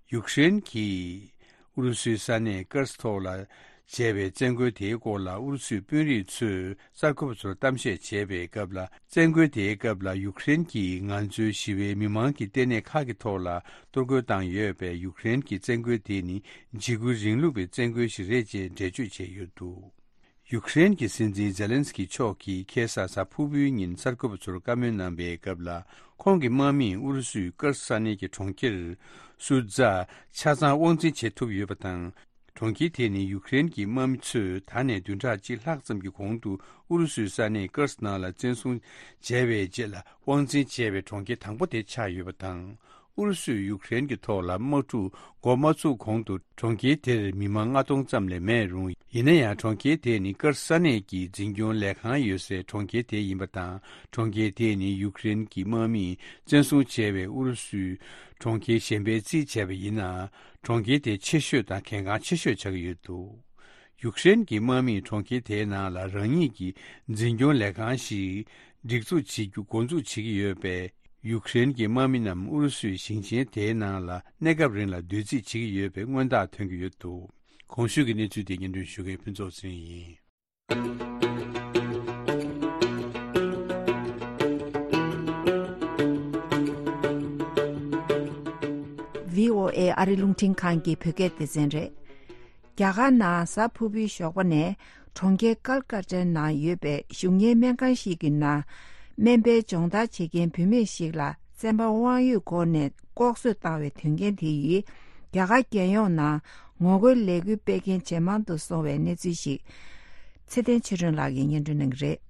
ཡུཀ་རེན་གྱིས་ཨུ་རུ་སུའི་ས་གནས་ཀར་སི་ཐོག་ལ་བྱས་པའི་བཙན་རྒོལ་དེའི་སྐོར་ལ། ཨུ་རུ་སུའི་དཔོན་རིགས་ཚོས་གསར་འགོད་པ་ཚོར་གཏམ་བཤད་བྱས་པའི་སྐབས་ལ། བཙན་རྒོལ་དེའི་སྐབས་ལ་ཡུཀ་རེན་གྱིས་ང་ཚོའི་ཞི་བའི་མི་མང་གི་ལྟེ་གནས་ཁག་གི་ཐོག་ལ་གཏོར་རྒོལ་བཏང་ཡོད་པས། ཡུཀ་རེན་གྱི་བཙན་རྒོལ་དེ་ནི་འཇིགས་སྐུལ་རིང་ལུགས་པའི་བཙན་རྒོལ་ཞིག་རེད་ཅེས་འགྲེལ་བརྗོད་བྱས་ཡོད་འདུག། ཡུཀ་རེན་གྱི་སྲིད་འཛིན་ཛེ་ལན་སི་ཀི་མཆོག་གིས་ཁ་སང་གཟའ་ཕུར་བུའི་ཉིན་གསར་འགོད་པ་ཚོར་བཀའ་མོལ་གནང་པའི་སྐབས་ལ། ཁོང་གི་དམག་མིས་ཨུ་རུ་སུའི་ཀར་སི་ས་གནས་ཀྱི་གྲོང་ཁྱེར་སུ་ཛ་ཆ་ཚང་དབང་འཛིན་བྱེད་ཐུབ་ཡོད་པ་དང་། གྲོང་ཁྱེར་དེ་ནི་ཡུཀ་རེན་གྱི་དམག་མི་ཚོས་ད་ནས་བདུན་ཕྲག་གཅིག་ལྷག་ཙམ་གྱི་གོང་དུ་ཨུ་རུ་སུའི་ས་གནས་ཀར་སི་ནང་ལ་བཙན་བཟུང་བྱས་པའི་རྗེས་ལ་དབང་འཛིན་བྱས་པའི་གྲོང་ཁྱེར་དང་པོ་དེ་ཆགས་ཡོད་པ་དང་། ཨུ་རུ་སུས་ཡུཀ་རེན་གྱི་ཐོག་ལ་དམག་འཁྲུག་འགོ་མ་ཚུགས་གོང་དུ་གྲོང་ཁྱེར་དེར་མི་མང་ལྔ་སྟོང་ཙམ་ལས་མེད་རུང་། ཡིན་ན་ཡང་གྲོང་ཁྱེར་དེ་ནི་ཀར་སི་ས་གནས་ཀྱི་འཛིན་སྐྱོང་ལས་ཁང་ཡོད་སའི་གྲོང་ཁྱེར་དེ་ཡིན་པ་དང་། གྲོང་ཁྱེར་དེ་ནི་ཡུཀ་རེན་གྱི་དམག་མིས་བཙན་བཟུང་བྱས་པའི་ཨུ་རུ་སུའི་གྲོང་ཁྱེར་གཞན་པའི་རྩིས་བྱས་པ་ཡིན་ན། གྲོང་ཁྱེར་དེ་ཆེ་ཤོས་དང་གལ་འགངས་ཆེ་ཤོས་ཆགས་ཀྱི་ཡོད་འདུག། ཡུཀ་རེན་གྱི་དམག་མིས་གྲོང་ཁྱེར་དེའི་ནང་ལ་རང་ཉིད་ཀྱི་འཛིན་སྐྱོང་ལས་ཁང་ཞིག་སྒྲིག་འཛུགས་བྱེད་རྒྱུ་འགོ་འཛུགས་བྱེད་ཀྱི་ཡོད་པས། ཡུཀ་རེན་གྱི་དམག་མི་རྣམས་ཨུ་རུ་སུའི་ཞིང་ཆེན་དེའི་ནང་ལ་གནས་སྐབས་རིང་ལ་སྡོད་རྩིས་བྱེད་ཀྱི་ཡོད་པའི་མངོན་རྟགས་ཐོན་གྱི་ཡོད་འདུག། གོང་ཞུས་ཀྱི་གནས་ཚུལ་དེ་སྙན་སྒྲོན་ཞུ་མཁན་ཕུན་ཚོགས་ཚེ་རིང་ཡིན། བྷི་ཨོ་ཨེ་ཨ་རི་རླུང་འཕྲིན་ཁང་གི་བོད་སྐད་སྡེ་ཚན་རེད། རྒྱ་གར་ནང་གཟའ་ཕུར་བུའི་ཞོགས་པ་ནས་གྲོང་ཁྱེར་ཀལ་ཀ་ཏའི་ནང་ཡོད་པའི་གཞུང་གཉེར་སྨན་ཁང་ཞིག་གི་ནང་སྨན་པའི་སྦྱོང་བརྡར་བྱེད་མཁན་བུད་མེད་ཞིག་ལ་བཙན་པ་དབང་ཡོད་སྒོ་ནས་ལྐོག་གསོད་བཏང་བའི་དོན་རྐྱེན་དེ་ཡིས་རྒྱ་གར་རྒྱལ་ཡོངས་ནང་ངོ་རྒོལ་ལས་འགུལ་སྤེལ་མཁན་ཇེ་མང་དུ་སོང་བའི་གནས་ཚུལ་ཞིག་ཚེ་བརྟན་ཆོས་སྒྲོན་ལགས་ཀྱིས་སྙན་སྒྲོན་གནང་གི་རེད།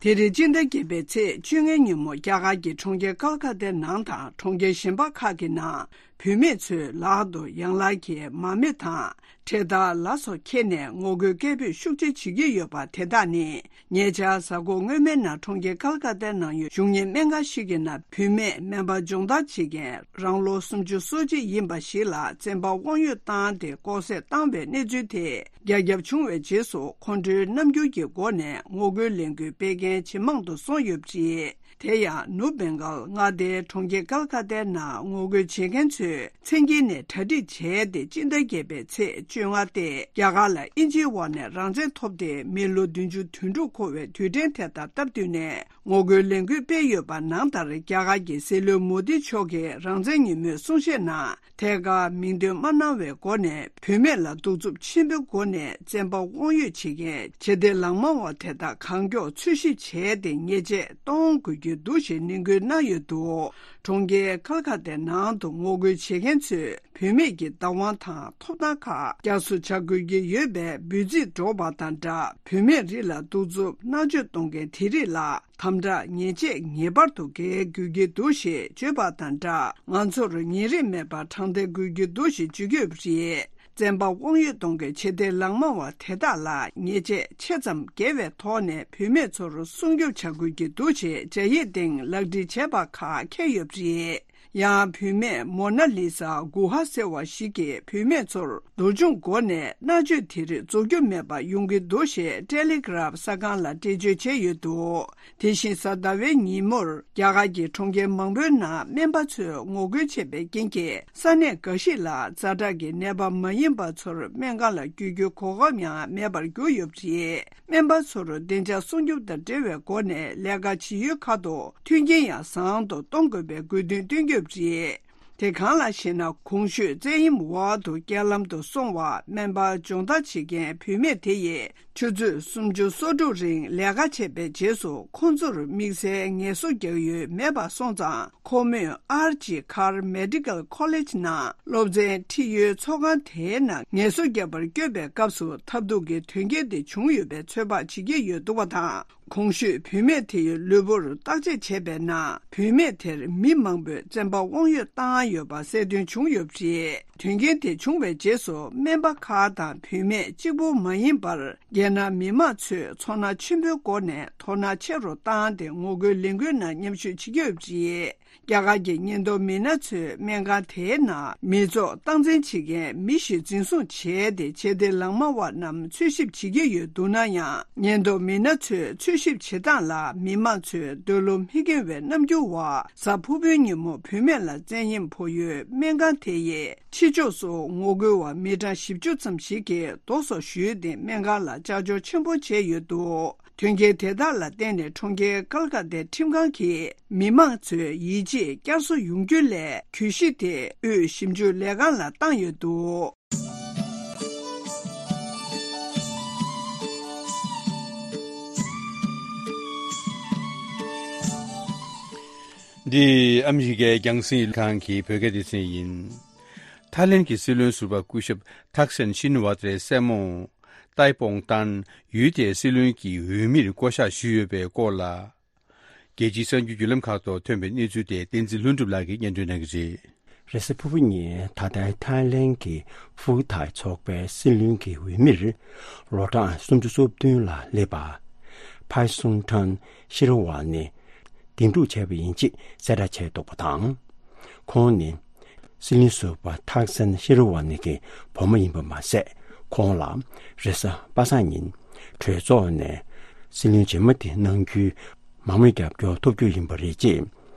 དེ་རིང་སྤྱི་ཟླ་བརྒྱད་པའི་ཚེས་བཅོ་ལྔའི་ཉིན་མོ། རྒྱ་གར་གྱི་གྲོང་ཁྱེར་ཀལ་ཀ་ཏའི་ནང་དང་གྲོང་ཁྱེར་གཞན་པ་ཁག་གི་ནང་བུད་མེད་ཚོའི་ལག་ཏུ་ཡང་ལག་གི་མར་མེ་དང་། འཕྲེད་དར་ལ་སོགས་འཁྱེར་ནས་ངོ་རྒོལ་སྐད་འབོད་ཤུགས་ཆེ་བྱེད་ཀྱི་ཡོད་པ། དེ་དག་ནི་ཉེ་ཆར་གཟའ་འཁོར་སྔོན་མའི་ནང་གྲོང་ཁྱེར་ཀལ་ཀ་ཏའི་ནང་ཡོད་བཞུགས་གཉེར་སྨན་ཁང་ཞིག་གི་ནང་བུད་མེད་སྨན་པ་སྦྱོང་བརྡར་བྱེད་མཁན་རང་ལོ་སུམ་ཅུ་སོ་གཅིག་ཡིན་པ་ཞིག་ལ་བཙན་པ་དབང་ཡོད་བཏང་སྟེ་ལྐོག་བསད་བཏང་བའི་གནས་ཚུལ་དེ་རྒྱ་ཁྱབ་བྱུང་བའི་རྗེས་སུ། ཁོང་ཁྲོའི་རྣམ་འགྱུར་གྱི་སྒོ་ནས་ངོ་རྒོལ་ལས་འགུལ་སྤེལ་མཁན་ཇེ་མང་དུ་སོང་ཡོད་པ་རེད། དེ་ཡང་ནུབ་བེང་གལ་མངའ་སྡེའི་གྲོང་ཁྱེར་ཀལ་ཀ་ཏའི་ནང་ངོ་རྒོལ་བྱེད་མཁན་ཚོས་མཚན་དཀྱིལ་ནས་གྲ་སྒྲིག་བྱས་ཏེ། སྤྱི་ཟླ་བརྒྱད་པའི་ཚེས་བཅོ་ལྔ་སྟེ། རྒྱ་གར་ལ་དབྱིན་ཇིའི་འོག་ནས་རང་བཙན་ཐོབ་སྟེ་མི་ལོ་བདུན་ཅུ་དོན་དྲུག་འཁོར་བའི་དུས་དྲན་དེ་དང་སྟབས་བསྟུན་ནས་ངོ་རྒོལ་ལས་འགུལ་སྤེལ་ཡོད་པ། ནང་ལྟར་རྒྱ་གར་གྱི་སྲིད་བློན་མོ་དི་མཆོག་གིས་རང་བཙན་ཉིན་མོའི་གསུང་བཤད་ནང་ཐད་ཀར་མིང་འདོན་མ་གནང་བའི་སྒོ་ནས། བུད་མེད་ལ་གདུག་རྩུབ་ཆེན་པོའི་སྒོ་ནས་བཙན་པ་དབང་ཡོད་བྱེད་མཁན་ཆེ་མཐོའི་ལག་དམར་བ་དེ་དག་གང་མགྱོགས་འཚོལ་ཞིབ་བྱས་ཏེ་ཉེས་ཆད་གཏོང་དགོས་ཀྱི་འདུག་ཞེས་ནན་སྐུལ་གནང་ཡོད་འདུག་གྲོང་ཁྱེར་ཀལ་ཀ་ཏའི་ནང་དུ་ངོ་རྒོལ་བྱེད་མཁན་ཚོས་བུད་མེད་ཀྱི་བདག་དབང་དང་ཐོབ་ཐང་ཁག་བསྐྱར་གསོ་བྱ་དགོས་ཀྱི་ཡོད་པའི་འབོད་ཚིག་སྒྲོག་པ་དང་སྦྲགས། བུད་མེད་རིགས་ལ་གདུག་རྩུབ་མནར་གཅོད་གཏོང་མཁན་དེ་རིགས་ལ་དམ་དྲག་ཉེས་ཆད་ངེས་པར་དུ་འགེལ་དགོས་ཀྱི་འདུག་ཞེས་བརྗོད་པ་དང་སྦྲགས། ང་ཚོར་ཉེ་རིང་མེད་པར་དྲང་བདེན་དགོས་ཀྱི་འདུག་ཞེས་བརྗོད་ཀྱི་ཡོད་པ་རེད། བཙན་པ་དབང་ཡོད་གཏོང་མཁན་ཆེ་མཐོའི་ལག་དམར་བ་དེ་དག་ལ་ཉེས་ཆད་ཆེ་ཙམ་འགེལ་བའི་ཐོག་ནས་བུད་མེད་ཚོར་སྲུང་སྐྱོབ་བྱ་དགོས་ཀྱི་འདུག་ཞེས་བྱ་ཡིག་སྟེང་ལག་བྲིས་བྱས་པ་ཁག་འཁྱེར་ཡོད་པ་རེད། ཡང་བུད་མེད་མོ་ན་ལི་ས་གུ་ཧ་ཟེར་བ་ཞིག་གིས་བུད་མེད་ཚོར་འདུལ་སྦྱོང་སྒོ་ནས་མནར་གཅོད་དེ་རིགས་རྫོགས་རྒྱུ་མེད་པ་ཡོང་གི་འདུག་ཞེས་ཊེ་ལི་གྷི་རབ་གསར་ཁང་ལ་འགྲེལ་བརྗོད་བྱས་ཡོད་འདུག་དེ་བཞིན་གཟའ་ཟླ་བའི་ཉིན་མོར་རྒྱ་གར་གྱི་གྲོང་ཁྱེར་མང་པོའི་ནང་སྨན་པ་ཚོས་ངོ་རྒོལ་བྱས་པའི་རྐྱེན་གྱིས་ས་གནས་འགའ་ཞིག་ལ་ཛ་དྲག་གི་ནད་པ་མ་ཡིན་པ་ཚོར་སྨན་ཁང་ལ་བསྐྱོད་རྒྱུའི་གོ་སྐབས་ཡང་མེད་པར་གྱུར་ཡོད་པ་རེད། སྨན་པ་ཚོར་བདེ་འཇགས་སྲུང་སྐྱོབ་དང་འབྲེལ་བའི་སྒོ་ནས་ལས་ཀ་བྱེད་ཡུལ་ཁག་ཏུ་མཐུན་རྐྱེན་ཡང་བཟང་དུ་གཏོང་དགོས་པའི་དགོས་འདུན་བཏོན་ཡོད་པ་རེད། དེ་གང་ལགས་ཤེ་ན། གོང་ཞུས་བཙན་གཡེམ་འོག་ཏུ་རྐྱེན་ལམ་དུ་སོང་བ་སྨན་པ་སྦྱོང་བརྡར་བྱེད་མཁན་བུད་མེད་དེ་ཡིས་ཆུ་ཚོད་སུམ་ཅུ་སོ་དྲུག་རིང་ལས་ཀ་བྱས་པའི་རྗེས་སུ་ཁོང་ཚོར་དམིགས་བསལ་ངལ་གསོ་རྒྱག་ཡུལ་མེད་པ་སོང་ཙང་། ཁོ་མོས་ཨར་ཇི་ཁར་མེ་ཌི་ཀལ་ཁོ་ལེ་ཇི་ནང་སློབ་ཚན་ཁྲིད་ཡུལ་ཚོགས་ཁང་དེའི་ནང་ངལ་གསོ་རྒྱག་པར་བསྐྱོད་པའི་སྐབས་སུ་ཐབས་སྡུག་གི་དོན་རྐྱེན་དེ་བྱུང་ཡོད་པའི་ཚོད་དཔག་བྱེད་ཀྱི་ཡོད་འདུག་པ་དང་། གོང་ཞུས་བུད་མེད་དེ་ཡི་ལུས་པོར་བརྟག་དཔྱད་བྱས་པའི་ནང་། བུད་མེད་དེར་མི་མང་པོས་བཙན་པ་དབང་ཡོད་བཏང་ཡོད་པ་གསལ་སྟོན་བྱུང་ཡོད་པ་རེད། དོན་རྐྱེན་དེ་བྱུང་བའི་རྗེས་སུ་སྨན་པ་ཁག་དང་བུད་མེད་གཅིག་པུ་མ་ཡིན་པར། རྒྱལ་ནང་མི་མང་ཚོས་ཚོར་སྣང་ཆེན་པོའི་སྒོ་ནས་དོ་སྣང་ཆེ་རུ་བཏང་སྟེ་ངོ་རྒོལ་ལས་འགུལ་ནང་མཉམ་ཞུགས་བྱེད་ཀྱི་ཡོད་པ་རེད། རྒྱ་གར་གྱི་ཉེན་རྟོག་མི་སྣ་ཚོས་སྨན་ཁང་དེའི་ནང་མི་ཚོགས་སྟངས་འཛིན་བྱེད་མཁན་མི་ཞིག་འཛིན་བཟུང་བྱས་ཏེ། ཆེ་མཐོའི་ལག་དམར་བ་རྣམས་འཚོལ་ཞིབ་བྱེད་ཀྱི་ཡོད་འདུག་ན་ཡང་། ཉེན་རྟོག་མི་སྣ་ཚོས་འཚོལ་ཞིབ་བྱེད་སྟངས་ལ་མི་མང་ཚོས་འདོད་བློ་མི་འགེལ་བའི་རྣམ་འགྱུར་འོག་གཟའ་ཕུར་བུའི་ཉིན་མོ་བུད་མེད་ལ་བཙན་གཡེམ་ཕོག་ཡུལ་སྨན་ཁང་དེ་ཡི་ཕྱི་ཕྱོགས་སུ་ངོ་རྒོལ་བ་མི་གྲངས་བཞི་བཅུ་ཙམ་ཞིག་གིས་རྡོ་སོགས་གཞུས་ཏེ་སྨན་ཁང་ལ་ལྕགས་སྦྱོར་ཆེན་པོ་བྱས་ཡོད་འདུག་དོན་རྐྱེན་དེ་དག་ལ་བརྟེན་ནས་གྲོང་ཁྱེར་ཀལ་ཀ་ཏའི་ཁྲིམས་ཁང་གིས་མི་མང་ཚོའི་ཡིད་ཆེས་བསྐྱར་གསོ་ཡོང་རྒྱུ་ལས་གྱོད་གཞི་དེ་དབུས་ཞིབ་འཇུག་ལས་ཁང་ལ་བཏང་ཡོད་འདུག་འདི་ཨ་མི་རི་ཀའི་རྒྱང་སྲིང་ཁང་གི་བོད་སྐད་སྡེ་ཚན་ཡིན། ཐའི་ལེན་གྱི་སྲིད་བློན་ཟུར་པ་སྐུ་ཞབས་ཐག་སན་ཤིན་ཝ་ཏྲའི་སྲས་མོ་ཏའི་པོང་ཏན་ཡུལ་དེའི་སྲིད་བློན་གྱི་འོས་མིར་བསྐོ་གཞག་ཞུས་ཡོད་པའི་སྐོར་ལ། རྒྱལ་སྤྱིའི་གསར་འགྱུར་བརྒྱུད་ལམ་ཁག་ཐོག་ཐོན་པའི་གནས་ཚུལ་དེ་བསྟན་འཛིན་ལྷུན་གྲུབ་ལགས་ཀྱིས་སྙན་སྒྲོན་གནང་གི་རེད། རེས་གཟའ་ཕུར་བུ་ཉིན་ད་ལྟའི་ཐའི་ལེན་གྱི་ཧྥུའུ་ཐའི་ཚོགས་པའི་སྲིད་བློན་གྱི་འོས་མིར་ལོ་གྲངས་སུམ་ཅུ་སོ་བདུན་ལ་སླེབས་པ་ཕའི་སུང་ཁྲན་ཤེ་རི་ཝ་ནི་འདེམས་སྒྲུག་བྱས་པ་ཡིན་ཅེས་གསལ་བསྒྲགས་བྱས་འདུག་པ་དང་། ཁོང་ནི་སྲིད་བློན་ཟུར་པ་ཐག་སན་ཤེ་རི་ཝ་ནི་གི་བུ་མོ་ཡིན་པ་མ་ཟད། ཁོང་ལ་རེས་གཟའ་པ་སངས་ཉིན་གྲོས་ཚོགས་ནས་སྲིད་བློན་རྗེས་མ་དེ་གནང་རྒྱུའི་མང་མོས་རྒྱབ་སྐྱོར་ཐོབ་རྒྱུ་ཡིན་པ་རེད་ཅེས།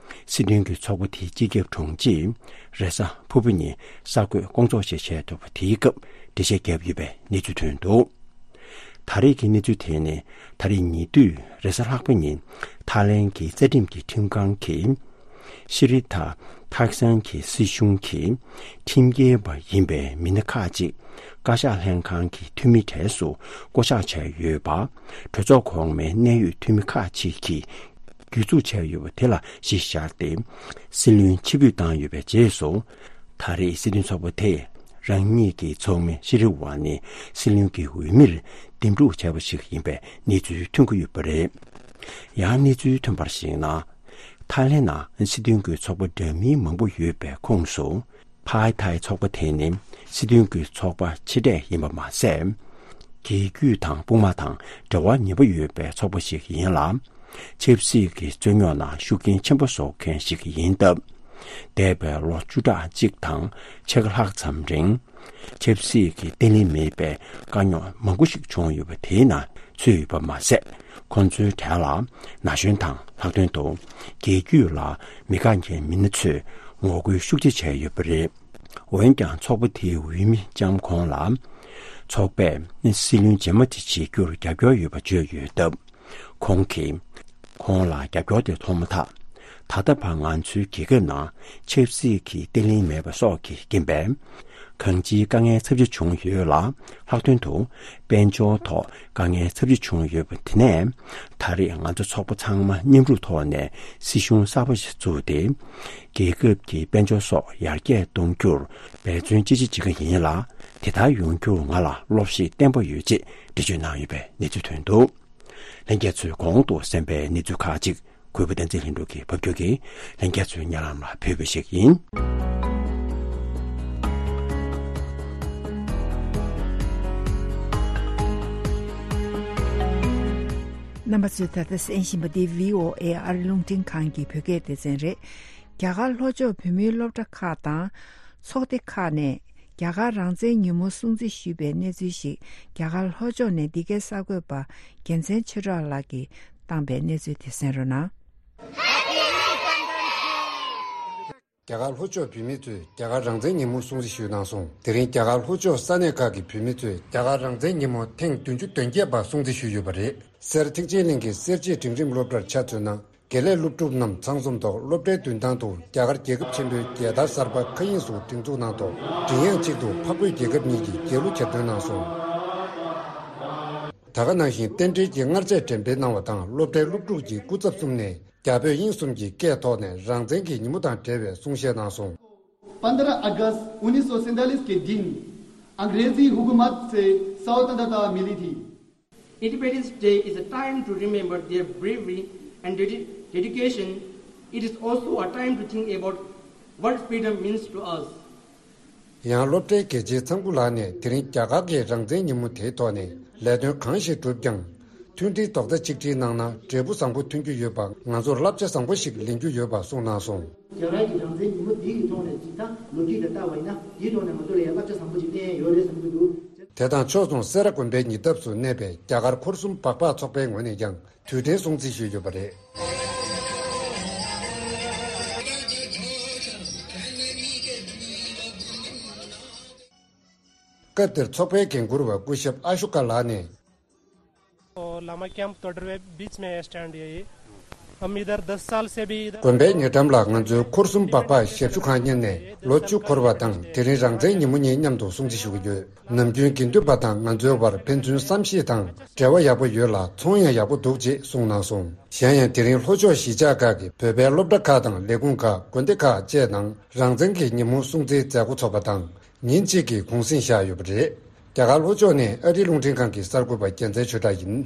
སྲིད་དོན་གྱི་ཚོགས་པ་དེའི་སྤྱི་ཁྱབ་དྲུང་ཆེས་རེས་གཟའ་ཕུར་བུ་ཉིན་གསར་འགོད་སྐོང་ཚོགས་ཤིག་བྱས་འདུག་པ། དེའི་སྐབས་འགྲེལ་བཤད་བརྒྱབ་ཡོད་པའི་གནས་ཚུལ་ཐོན་འདུག་ད་རེས་ཀྱི་གནས་ཚུལ་དེ་ནི་ད་རེས་ཉེ་དུས་རེས་གཟའ་ལྷག་པ་ཉིན་ཐའི་ལེན་གྱི་རྩ་ཁྲིམས་ཀྱི་ཁྲིམས་ཁང་གིས་ཤི་རི་ཐ་ཐག་སན་གྱི་སྲིད་གཞུང་གི་ཁྲིམས་འགལ་བ་ཡིན་པའི་མི་སྣ་ཁག་ཅིག་བཀའ་ཤག་ལྷན་ཁང་གི་འཐུས་མི་གྲས་སུ་བསྐོ་གཞག་བྱས་ཡོད་པ། གྲོས་ཚོགས་གོང་མའི་གནད་ཡོད་འཐུས་མི་ཁག་ཅིག་གིས་གྱོད་འཛུགས་བྱས་ཡོད་པ་དེ་ལ་གཞི་བཞག་སྟེ། སྲིད་བློན་ཕྱིར་འབུད་བཏང་ཡོད་པའི་རྗེས་སུ། ད་རེས་སྲིད་དོན་ཚོགས་པ་དེས་རང་ཉིད་ཀྱི་ཚོགས་མི་ཤི་རི་ཝ་ནི་སྲིད་བློན་གྱི་འོས་མིར་འདེམས་སྒྲུག་བྱས་པ་ཞིག་ཡིན་པའི་གནས་ཚུལ་ཐོན་གྱི་ཡོད་པ་རེད། ཡང་གནས་ཚུལ་ཐོན་པར་གཞིགས་ན། ཐའི་ལེན་ནང་སྲིད་དོན་གྱི་ཚོགས་པ་འདྲ་མིན་མང་པོ་ཡོད་པའི་ཁོངས་སུ། ཕའི་ཐའི་ཚོགས་པ་དེ་ནི་སྲིད་དོན་གྱི་ཚོགས་པ་ཆེ་གྲས་ཡིན་པ་མ་ཟད། རྒྱལ་རྒྱུད་དང་དཔུང་དམག་དང་འབྲེལ་བ་ཉེ་པོ་ཡོད་པའི་ཚོགས་པ་ཞིག་ཡིན་ལ། ཆབ་སྲིད་ཀྱི་རྩོད་རྙོག་ནང་ཤུགས་རྐྱེན་ཆེན་པོ་བཟོ་མཁན་ཞིག་ཡིན་སྟབས། འདས་པའི་ལོ་བཅུ་ཕྲག་གཅིག་དང་ཕྱེད་ཀ་ལྷག་ཙམ་རིང་། ཆབ་སྲིད་ཀྱི་བརྟན་ལྷིང་མེད་པའི་དཀའ་རྙོག་མང་པོ་ཞིག་བྱུང་ཡོད་པ་དེའི་ནང་ཚུད་ཡོད་པ་མ་ཟད། ཁོང་ཚོའི་གྲས་ལ་ན་གཞོན་དང་ལྷག་དོན་དུ་རྒྱལ་རྒྱུད་ལ་མི་དགའ་མཁན་མི་སྣ་ཚོས་ངོ་རྒོལ་ཤུགས་ཆེ་བྱས་ཡོད་པ་རེད། འོན་ཀྱང་ཚོགས་པ་དེའི་འོས་མི་ལྕམ་ཁོང་ལ་ཚོགས་པས་སྲིད་བློན་རྗེས་མ་དེ་བྱེད་རྒྱུར་རྒྱབ་སྐྱོར་ཡོད་པ་བརྗོད་ཡོད་སྟབས། ཁོང་གིས་ཁོང་ལ་རྒྱབ་སྐྱོར་དེ་ཐོབ་མ་ཐག་ད་ལྟ་བར་ང་ཚོའི་རྒྱལ་ཁབ་ནང་ཆབ་སྲིད་ཀྱི་བརྟན་ལྷིང་མེད་པ་སོགས་ཀྱི་རྐྱེན་པས། གང་ཅིའི་དཀའ་ངལ་ཚབས་ཆེ་བྱུང་ཡོད་ལ། ལྷག་དོན་དུ་དཔལ་འབྱོར་ཐོག་དཀའ་ངལ་ཚབས་ཆེ་བྱུང་ཡོད་པ་དེ་ནས། ད་རེས་ང་ཚོ་ཚོགས་པ་ཚང་མ་མཉམ་རུབ་ཐོག་ནས་སྲིད་གཞུང་གསར་པ་ཞིག་བཙུགས་ཏེ། རྒྱལ་ཁབ་ཀྱི་དཔལ་འབྱོར་སོགས་ཡར་རྒྱས་གཏོང་རྒྱུར་འབད་བརྩོན་ཅི་ཆེ་བྱེད་ཀྱི་ཡིན་ལ། དེ་ལྟར་ཡོང་རྒྱུར་ང་ལ་སློབ་གཞི་བརྟན་པོ་ཡོད་ཅེས་འགྲེལ་བརྗོད་གནང་ཡོད་པའི་གནས་ཚུལ་ཐོན་འདུག་ལྷན་རྒྱས་ཚོས་གོང་དུ་གསན་པའི་གནས་ཚུལ་ཁག་ཅིག་གུས་པ་བསྟན་འཛིན་ལྷུན་གྲུབ་ཀྱིས་ཕབ་སྒྱུར་གྱིས་ལྷན་རྒྱས་ཚོའི་སྙན་ལམ་ལ་ཕུལ་བ་ཞིག་ཡིན། རྣམ་པ་ཚོས་ད་ལྟ་གསན་བཞིན་པ་འདི་བྷི་ཨོ་ཨེ་ཨ་རི་རླུང་འཕྲིན་ཁང་གི་བོད་སྐད་སྡེ་ཚན་རེད། རྒྱ་གར་ལྷོ་ཕྱོགས་བོད་མིའི་སློབ་གྲྭ་ཁག་དང་ཚོགས་སྡེ་ཁག་ནས་རྒྱ་གར་རང་བཙན་ཉིན་མོ་སྲུང་བརྩི་ཞུས་པའི་གནས་ཚུལ་ཞིག་རྒྱ་གར་ལྷོ་ཕྱོགས་ནས་འདི་གའི་གསར་འགོད་པ་རྒྱལ་མཚན་ཆོས་གྲགས་ལགས་ཀྱིས་བཏང་པའི་གནས་ཚུལ་དེ་གསན་རོགས་གནང་། རྒྱ་གར་ལྷོ་ཕྱོགས་བོད་མི་ཚོས་རྒྱ་གར་རང་བཙན་ཉིན་མོ་སྲུང་བརྩི་ཞུས་གནང་སོང་། དེ་རིང་རྒྱ་གར་ལྷོ་ཕྱོགས་ས་གནས་ཁག་གི་བོད་མི་ཚོས་རྒྱ་གར་རང་བཙན་ཉིན་མོ་ཐེངས་བདུན་ཅུ་དོན་བརྒྱད་པ་སྲུང་བརྩི་ཞུས་ཡོད་པ་རེད། སེར་ཐེག་ཆེན་གླིང་གི་སེར་བྱེས་འབྲིང་རིམ་སློབ་གྲྭར་ཆ་མཚོན་ན། དགེ་ལས་སློབ་ཕྲུག་རྣམས་ཚང་འཛོམས་ཐོག་སློབ་གྲྭའི་མདུན་ཐང་དུ་རྒྱ་གར་རྒྱལ་ཁབ་ཆེན་པོའི་རྒྱལ་དར་གསར་པ་མཁའ་དབྱིངས་སུ་སྒྲེང་འཛུགས་གནང་ཐོག་མགྲིན་དབྱངས་གཅིག་ཏུ་འཕགས་བོད་རྒྱལ་ཁབ་གཉིས་ཀྱི་རྒྱལ་གླུ་གྱེར་འདོན་གནང་སོང་། ད་ག་ནང་བཞིན་རྟེན་འབྲེལ་གྱི་མངར་ཆས་འགྲེམས་སྤེལ་གནང་བ་དང་སློབ་གྲྭའི་སློབ་ཕྲུག་གིས་སྐུ་ཚབ་གསུམ་ནས་རྒྱ་བོད་དབྱིན་གསུམ་གྱི་སྐད་ཐོག་ནས་རང་བཙན་གྱི་ཉིན་མོ་དང་འབྲེལ་བའི་གསུང་བཤད་གནང་སོང་། پندرہ اگست انیس سو سینتالیس کے دن انگریزی حکومت سے سوتنترتا ملی تھی۔ Independence Day is a time to remember their bravery and dedi- dedication. It is also a time to think about what freedom means to us. ཡང་སློབ་གྲྭའི་དགེ་ཆེ་ཚང་སྐུ་ལགས་ནས་དེ་རིང་རྒྱ་གར་གྱི་རང་བཙན་ཉིན་མོ་དེའི་ཐོག་ནས་ལས་དོན་གང་ཞིག་བསྒྲུབས་ཀྱང་། མཐུན་སྒྲིལ་རྡོག་རྩ་གཅིག་སྒྲིལ་གནང་ན་འབྲས་བུ་བཟང་པོ་ཐོན་རྒྱུ་ཡོད་པ་ང་ཚོར་བསླབ་བྱ་བཟང་པོ་ཞིག་ལེན་རྒྱུ་ཡོད་པ་གསུངས་གནང་སོང་། རྒྱ་གར་གྱི་རང་བཙན་ཉིན་མོ་འདི་ཡི་ཐོག་ནས་ཇི་ལྟར་ལོ་རྒྱུས་ལ་བལྟ་བ་ཡིན་ན་འདིའི་ཐོག་ནས་ང་ཚོ་ལ་ཡང་བསླབ་བྱ་བཟང་པོ་ཅིག་ལེན་ཡ་ཡོད་རེད་བསམ་གྱི་འདུག་དེ་དང་ཕྱོགས་མཚུངས་སེ་ར་དགོན་པའི་ཉེ་འདབས་སུ་གནས་པའི་རྒྱ་གར་འཁོར་གསུམ་སྦག་སྦག་ཚོགས་པའི་ངོས་ནས་ཀྱང་དུས་དྲན་སྲུང་བརྩི་ཞུས་ཡོད་པ་རེད། སྐབས་དེར་ཚོགས་པའི་འགན་འཁུར་བ་སྐུ་ཞབས་ཨ་ཤོ་ཀ་ལགས་ནས། Lama कैंप तोडरवे बीच में स्टैंड यही। हम इधर दस साल से भी इधर དགོན་པའི་ཉེ་འགྲམ་ལ་ང་ཚོའི་འཁོར་གསུམ་སྦག་སྦག་ཞབས་ཞུ་ཁང་གཉེར་ནས་ལོ་བཅུ་འཁོར་བ་དང་དེ་རིང་རང་བཙན་ཉིན་མོ་གཉིས་མཉམ་དུ་སྲུང་བརྩི་ཞུ་གི་ཡོད། ནམ་རྒྱུན་དགེ་འདུན་པ་དང་ང་ཚོའི་བར་ཕན་ཚུན་བསམ་ཤེས་དང་འབྲེལ་བ་ཡག་པོ་ཡོད་ལ་ཚོང་ཡང་ཡག་པོ་འདུག་ཅེས་གསུངས་གནང་སོང་། གཞན་ཡང་དེ་རིང་ལྷོ་ཕྱོགས་གཞིས་ཆགས་ཁག་གི་བོད་པའི་སློབ་གྲྭ་ཁག་དང་ལས་ཁུངས་ཁག་དགོན་སྡེ་ཁག་བཅས་ནང་རང་བཙན་གྱི་ཉིན་མོ་སྲུང་བརྩིའི་མཛད་སྒོ་ཚོགས་པ་དང་། ཉིན་གཅིག་གི་གུང་གསེང་བཞག་ཡོད་པ་རེད། རྒྱ་གར་ལྷོ་ཕྱོགས་ནས་ཨ་རིའི་རླུང་འཕྲིན་ཁང་གི་གསར་འགོད་པ་རྒྱལ་མཚན་ཆོས་གྲགས་ཡིན།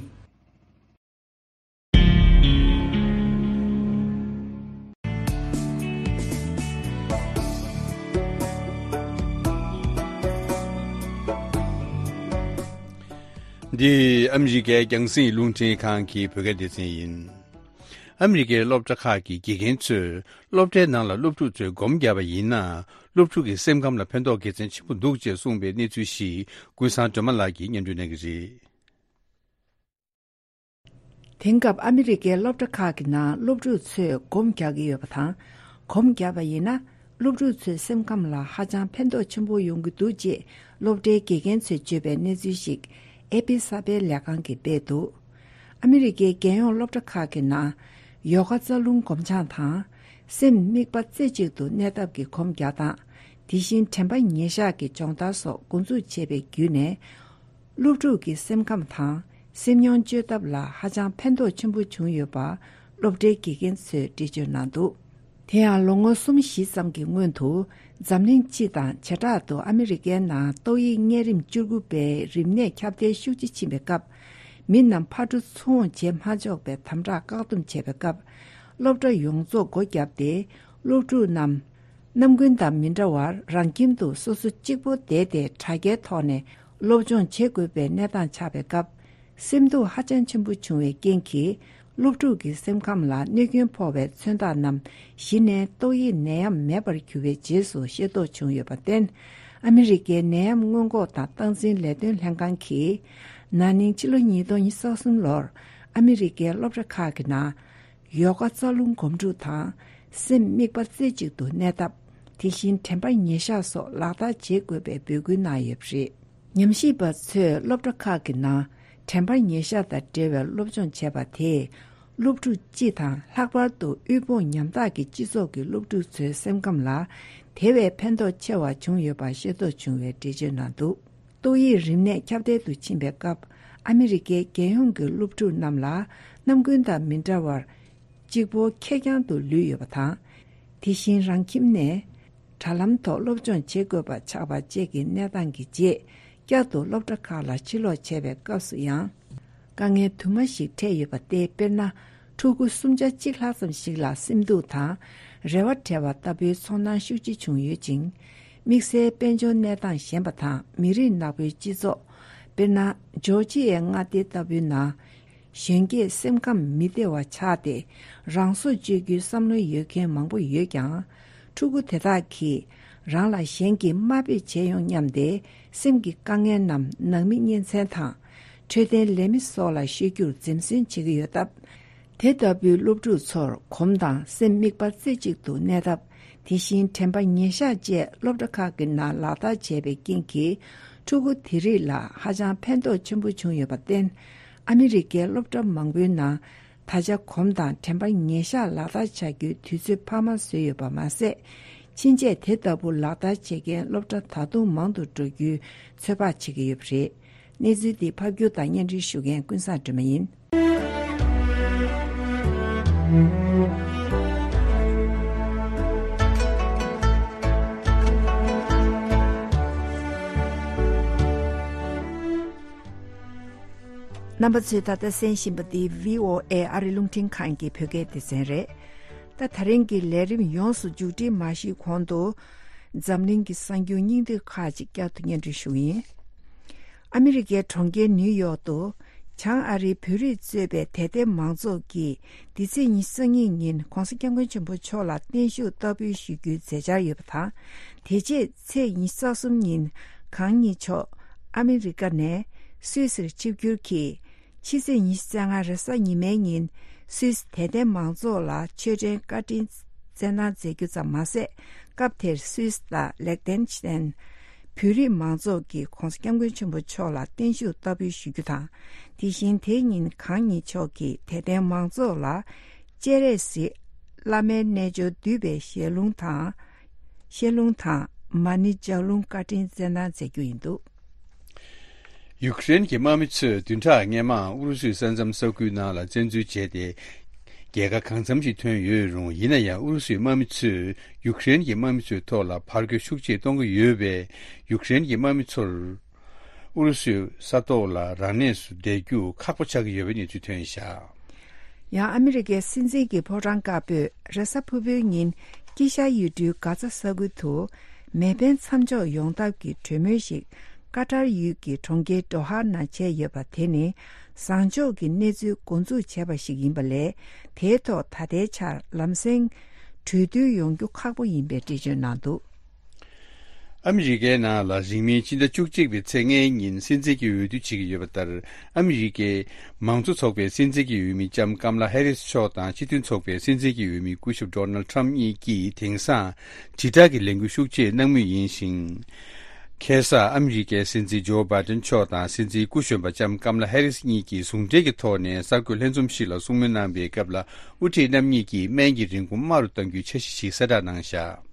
འདི་ཨ་མི་རི་ཀའི་རྒྱང་སྲིང་རླུང་འཕྲིན་ཁང་གི་བོད་སྐད་སྡེ་ཚན་ཡིན། ཨ་མི་རི་ཀའི་སློབ་གྲྭ་ཁག་གི་དགེ་རྒན་ཚོས་སློབ་གྲྭའི་ནང་ལ་སློབ་ཕྲུག་ཚོས་སྒོམ་བརྒྱབ་པ་ཡིན་ན། སློབ་ཕྲུག་གི་སེམས་ཁམས་ལ་ཕན་ཐོགས་དགེ་མཚན་ཆེན་པོ་འདུག་ཅེས་གསུངས་པའི་གནས་ཚུལ་ཞིག་ཀུན་བཟང་སྒྲོལ་མ་ལགས་ཀྱིས་སྙན་སྒྲོན་གནང་གི་རེད། དེང་སྐབས་ཨ་མི་རི་ཀའི་སློབ་གྲྭ་ཁག་གི་ནང་སློབ་ཕྲུག་ཚོས་སྒོམ་རྒྱག་གི་ཡོད་པ་དང་། སྒོམ་བརྒྱབ་པ་ཡིན་ན། སློབ་ཕྲུག་ཚོའི་སེམས་ཁམས་ལ་ཧ་ཅང་ཕན་ཐོགས་ཆེན་པོ་ཡོང་གི་འདུག་ཅེས་སློབ་གྲྭའི་དགེ་རྒན་ཚོས་བརྗོད་པའི་གནས་ཚུལ་ཞིག་ཨེ་པི་གསར་སྤེལ་ལས་ཁང་གིས་སྤེལ་འདུག་ཨ་མི་རི་ཀའི་རྒྱལ་ཡོངས་སློབ་གྲྭ་ཁག་གི་ནང་ཡོ་ག་རྩ་རླུང་སྒོམ་སྦྱང་དང་། སེམས་དམིགས་པ་རྩེ་གཅིག་ཏུ་གནས་ཐབས་ཀྱི་སྒོམ་རྒྱག་སྟངས། དེ་བཞིན་དྲན་པ་ཉེར་བཞག་གི་སྦྱོང་བརྡར་སོགས་འགོ་འཛུགས་བྱས་པའི་བརྒྱུད་ནས། སློབ་ཕྲུག་གི་སེམས་ཁམས་དང་སེམས་མྱོང་བཅོས་ཐབས་ལ་ཧ་ཅང་ཕན་ཐོགས་ཆེན་པོ་བྱུང་ཡོད་པ་སློབ་གྲྭའི་དགེ་རྒན་ཚོས་འགྲེལ་བརྗོད་གནང་འདུག་དེ་ཡང་ལོ་ངོ་གསུམ་བཞི་ཙམ་གྱི་སྔོན་དུ་འཛམ་གླིང་སྤྱི་དང་བྱེ་བྲག་ཏུ་ཨ་མི་རི་ཀའི་ནང་ཏོག་དབྱིབས་གཉན་རིམས་བཅུ་དགུ་པའི་རིམས་ནད་ཁྱབ་གདལ་ཤུགས་ཆེ་ཕྱིན་པའི་སྐབས། མི་རྣམས་ཕར་འགྲོ་ཚུར་འོང་བྱེད་མ་ཆོག་པའི་དམ་དྲག་བཀག་སྡོམ་བྱས་པའི་སྐབས། སློབ་གྲྭ་ཡོངས་རྫོགས་སྒོ་བརྒྱབ་སྟེ། སློབ་ཕྲུག་རྣམས་ནམ་རྒྱུན་དང་མི་འདྲ་བར་རང་ཁྱིམ་དུ་སོ་སོ་གཅིག་པོ་བསྡད་དེ་དྲ་རྒྱའི་ཐོག་ནས་སློབ་སྦྱོང་བྱེད་དགོས་པའི་གནས་སྟངས་ཆགས་པའི་སྐབས། སེམས་སྡུག་ཧ་ཅང་ཆེན་པོ་བྱུང་བའི་རྐྱེན་གྱིས། སློབ་ཕྲུག་གི་སེམས་ཁམས་ལ་གནོད་སྐྱོན་ཕོག་པའི་མཚོན་རྟགས་རྣམས་གཞི་ནས་ཏོག་དབྱིབས་ནད་ཡམས་མེད་པར་གྱུར་བའི་རྗེས་སུ་ཤེས་རྟོགས་བྱུང་ཡོད་པར་བརྟེན། ཨ་མི་རི་ཀའི་ནད་ཡམས་སྔོན་འགོག་དང་སྟངས་འཛིན་ལས་དོན་ལྷན་ཁང་གིས། ན་ནིང་ཕྱི་ལོ་ཉིས་སྟོང་ཉི་ཤུ་རྩ་གསུམ་ལོར་ཨ་མི་རི་ཀའི་སློབ་གྲྭ་ཁག་གི་ནང་ཡོ་ག་རྩ་རླུང་སྒོམ་སྒྲུབ་དང་། སེམས་དམིགས་པ་རྩེ་གཅིག་ཏུ་གནས་ཐབས། དེ་བཞིན་དྲན་པ་ཉེར་བཞག་སོགས་ལག་བསྟར་བྱེད་དགོས་པའི་འབོད་སྐུལ་གནང་ཡོད་པ་རེད། ཉམས་ཞིབ་པ་ཚོས་སློབ་གྲྭ་ཁག་གི་ནང་དྲན་པ་ཉེར་བཞག་དང་འབྲེལ་བའི་སློབ་སྦྱོང་བྱས་པ་དེས། སློབ་ཕྲུག་སྤྱི་དང་ལྷག་པར་དུ་དབུལ་ཕོངས་ཉམ་ཐག་གི་སྤྱི་ཚོགས་ཀྱི་སློབ་ཕྲུག་ཚོའི་སེམས་ཁམས་ལ་དེ་བས་ཕན་ཐོགས་ཆེ་བ་བྱུང་ཡོད་པ་ཤེས་རྟོགས་བྱུང་བའི་འགྲེལ་བརྗོད་གནང་འདུག་ཏོག་དབྱིབས་རིམས་ནད་ཁྱབ་གདལ་དུ་ཕྱིན་པའི་སྐབས། ཨ་མི་རི་ཀའི་རྒྱལ་ཡོངས་ཀྱི་སློབ་ཕྲུག་རྣམས་ལ་ནམ་རྒྱུན་དང་མི་འདྲ་བར། གཅིག་པོ་ཁེར་རྐྱང་དུ་ལུས་ཡོད་པ་དང་། དེ་བཞིན་རང་ཁྱིམ་ནས་དྲ་ལམ་ཐོག་སློབ་སྦྱོང་བྱེད་དགོས་པ་ཆགས་པ་བཅས་ཀྱི་གནས་སྟངས་ཀྱི་རྗེས། བསྐྱར་དུ་སློབ་གྲྭ་ཁག་ལ་ཕྱིར་ལོག་བྱས་པའི་སྐབས་སུ་ཡང་། དཀའ་ངལ་དུ་མ་ཞིག་འཕྲད་ཡོད་པ་སྟེ། དཔེར་ན། ཕྲུ་གུ་སུམ་ཆ་གཅིག་ལྷག་ཙམ་ཞིག་ལ་སེམས་སྡུག་དང་། རེ་བ་བྲལ་བ་ལྟ་བུའི་ཚོར་སྣང་ཤུགས་ཆེ་བྱུང་ཡོད་ཅིང་། དམིགས་བསལ་དཔལ་འབྱོར་གནས་སྟངས་ཞན་པ་དང་མི་རིགས་ནག་པོའི་སྤྱི་ཚོགས། དཔེར་ན། ཇོར་ཇི་ཡའི་མངའ་སྡེ་ལྟ་བུའི་ནང་། གཞོན་སྐྱེས་སེམས་ཁམས་མི་བདེ་བ་ཆགས་ཏེ། རང་སྲོག་གཅོད་རྒྱུའི་བསམ་བློ་ཡོད་མཁན་མང་པོ་ཡོད་ཀྱང་། ཕྲུ་གུ་དེ་དག་གིས་རང་ལ་གཞན་གྱིས་དམའ་འབེབས་བྱེད་ཡོང་སྙམ་སྟེ། སེམས་ཀྱི་དཀའ་ངལ་རྣམས་ནང་མི་གཉེན་ཚན་དང་། འཕྲོད་བསྟེན་ལས་མི་སོགས་ལ་ཤོད་རྒྱུར་འཛེམ་ཟོན་བྱེད་ཀྱི་ཡོད་སྟབས། དེ་ལྟ་བུའི་སློབ་ཕྲུག་ཚོར་གོམ་དང་སེམས་དམིགས་པ་རྩེ་གཅིག་ཏུ་གནས་ཐབས། དེ་བཞིན་དྲན་པ་ཉེར་བཞག་བཅས་སློབ་གྲྭ་ཁག་གི་ནང་ལག་བསྟར་བྱས་པའི་རྐྱེན་གྱིས། ཕྲུ་གུ་དེ་རིགས་ལ་ཧ་ཅང་ཕན་ཐོགས་ཆེན་པོ་བྱུང་ཡོད་པར་བརྟེན། ཨ་མི་རི་ཀའི་སློབ་གྲྭ་མང་པོའི་ནང་ད་ཆ་གོམ་དང་དྲན་པ་ཉེར་བཞག་ལག་བསྟར་བྱ་རྒྱུའི་དུས་ཚོད་འཕར་མ་བཟོས་ཡོད་པ་མ་ཟད། ཕྱིན་ཆད་དེ་ལྟ་བུ་ལག་བསྟར་བྱེད་མཁན་སློབ་གྲྭ་ད་དུང་མང་དུ་འགྲོ་རྒྱུའི་ཚོད་དཔག་བྱེད་ཀྱི་ཡོད་པ་རེད། གནས་ཚུལ་འདི་ཕབ་སྒྱུར་དང་སྙན་སྒྲོན་ཞུ་མཁན་ཀུན་བཟང་སྒྲོལ་མ་ཡིན། རྣམ་པ་ཚོས་ད་ལྟ་གསན་བཞིན་པ་འདི་བྷི་ཨོ་ཨེ་ཨ་རི་རླུང་འཕྲིན་ཁང་གི་བོད་སྐད་སྡེ་ཚན་རེད། ད་ད་རིང་གི་ལས་རིམ་ཡོངས་སུ་མཇུག་སྒྲིལ་མ་ཞུས་གོང་དུ། འཛམ་གླིང་གི་གསར་འགྱུར་སྙིང་བསྡུས་ཁག་ཅིག་བསྐྱར་དུ་སྙན་སྒྲོན་ཞུ་གི་ཡིན། ཨ་མི་རི་ཀའི་གྲོང་ཁྱེར་ནིའུ་ཡོག་ཏུ། བྱང་ཨ་རིའི་བོད་རིགས་གཙོས་པའི་དད་ལྡན་མང་ཚོགས་ཀྱིས། འདི་ཚེས་ཉི་ཤུ་རྩ་གཉིས་ཉིན་༧གོང་ས་༧སྐྱབས་མགོན་ཆེན་པོ་མཆོག་ལ་བརྟན་བཞུགས་བསྟར་འབུལ་ཞུ་རྒྱུའི་མཛད་འཆར་ཡོད་པ་དང་། དེ་རྗེས་ཚེས་ཉི་ཤུ་རྩ་གསུམ་ཉིན། གང་ཉིད་མཆོག་ཨ་མི་རི་ཀ་ནས་སུད་སིར་ཆིབས་བསྒྱུར་གྱིས། ཕྱི་ཚེས་ཉི་ཤུ་རྩ་ལྔ་རེས་གཟའ་ཉི་མའི་ཉིན། སུད་སི་དད་ལྡན་མང་ཚོགས་ལ་ཆོས་འབྲེལ་བཀའ་དྲིན་སྩལ་གནང་མཛད་རྒྱུ་ཙམ་མ་ཟད། སྐབས་དེར་སུད་སི་དང་ལེག་ཏེན་ཤི་ཏན། བོད་རིགས་མང་ཚོགས་ཀྱིས་༧གོང་ས་༧སྐྱབས་མགོན་ཆེན་པོ་མཆོག་ལ་བརྟན་བཞུགས་བསྟར་འབུལ་ཞུ་རྒྱུ་དང་། དེ་བཞིན་དེའི་ཉིན་གང་ཉིད་མཆོག་གིས་དད་ལྡན་མང་ཚོགས་ལ་སྤྱན་རས་གཟིགས་བླ་མའི་རྣལ་འབྱོར་བསྡུས་པའི་ཞལ་ལུང་དང་། ཞལ་ལུང་དང་མ་ཎི་ལྗགས་ལུང་བཀའ་དྲིན་སྩལ་གནང་མཛད་རྒྱུ་ཡིན་འདུག་ཡུཀ་རེན་གྱི་དམག་མི་ཚོས་བདུན་ཕྲག་སྔོན་མ་ཨུ་རུ་སུའི་ས་མཚམས་ས་ཁུལ་ནང་ལ་བཙན་འཛུལ་བྱས་ཏེ། རྒྱལ་ཁ་གང་འཚམ་ཞིག་ཐོན་ཡོད་རུང་། ཡིན་ན་ཡང་ཨུ་རུ་སུའི་དམག་མི་ཚོས་ཡུཀ་རེན་གྱི་དམག་མི་ཚོའི་ཐོག་ལ་ཕར་རྒོལ་ཤུགས་ཆེ་གཏོང་གི་ཡོད་པས། ཡུཀ་རེན་གྱི་དམག་མི་ཚོར་ཨུ་རུ་སུའི་ས་ཐོག་ལ་རང་གནས་སུ་བསྡད་རྒྱུ་ཁག་པོ་ཆགས་ཀྱི་ཡོད་པའི་གནས་ཚུལ་ཐོན་བཞག་ཡང་ཨ་མི་རི་ཀའི་སྲིད་འཛིན་གྱི་ཕོ་བྲང་དཀར་པོས་རེས་གཟའ་ཕུར་བུའི་ཉིན་དཀྱིལ་ཤར་ཡུལ་གྲུའི་གྷ་ཛ་ས་ཁུལ་དུ་མེ་འཕེན་མཚམས་འཇོག་ཡོང་ཐབས་ཀྱི་གྲོས་མོལ་ཞིག་ཀ་ཏར་ཡུལ་གྱི་གྲོང་ཁྱེར་ཌོ་ཧ་ནང་བྱས་ཡོད་པ་དེ་ནི་བཟང་ཕྱོགས་ཀྱི་གནས་ཚུལ་འགོ་འཛུགས་བྱས་པ་ཞིག་ཡིན་པ་ལས། དེའི་ཐོག་ད་ལྟའི་ཆར་ལམ་སེང་གྲོས་བསྡུར་ཡོང་རྒྱུ་ཁག་པོ་ཡིན་པའི་འགྲེལ་བརྗོད་གནང་འདུག་ཨ་མི་རི་ཀའི་ནང་ལ་རིང་མིན་ཕྱི་ཟླ་བཅུ་གཅིག་པའི་ཚེས་ལྔའི་ཉིན་སྲིད་འཛིན་གྱི་འོས་བསྡུ་བྱེད་ཀྱི་ཡོད་པ་ལྟར། ཨ་མི་རི་ཀའི་མང་གཙོ་ཚོགས་པའི་སྲིད་འཛིན་གྱི་འོས་མི་ལྕམ་ཀམ་ལ་ཧེ་རིས་མཆོག་དང་སྤྱི་མཐུན་ཚོགས་པའི་སྲིད་འཛིན་གྱི་འོས་མི་སྐུ་ཞབས་ཌོ་ནལ་ཁྲམ་གཉིས་ཀྱིས་དེང་སང་དྲིལ་བསྒྲགས་ཀྱི་ལས་འགུལ་ཤུགས་ཆེ་གནང་མུས་ཡིན་ཞིང་། ཁ་སང་ཨ་མི་རི་ཀའི་སྲིད་འཛིན་ཇོ་བྷའི་ཏན་མཆོག་དང་སྲིད་འཛིན་སྐུ་གཞོན་པ་ལྕམ་ཀམ་ལ་ཧེ་རིས་གཉིས་ཀྱིས་ཟུང་འབྲེལ་གྱི་ཐོག་ནས་གསར་འགོད་ལྷན་འཛོམས་ཤིག་ལ་གསུང་མོལ་གནང་བའི་སྐབས་ལ། དབུ་ཁྲིད་རྣམ་གཉིས་ཀྱིས་སྨན་གྱི་རིན་གོང་དམའ་རུ་གཏང་རྒྱུའི་འཆར་གཞི་ཞིག་གསལ་བསྒྲགས་གནང་བཞག་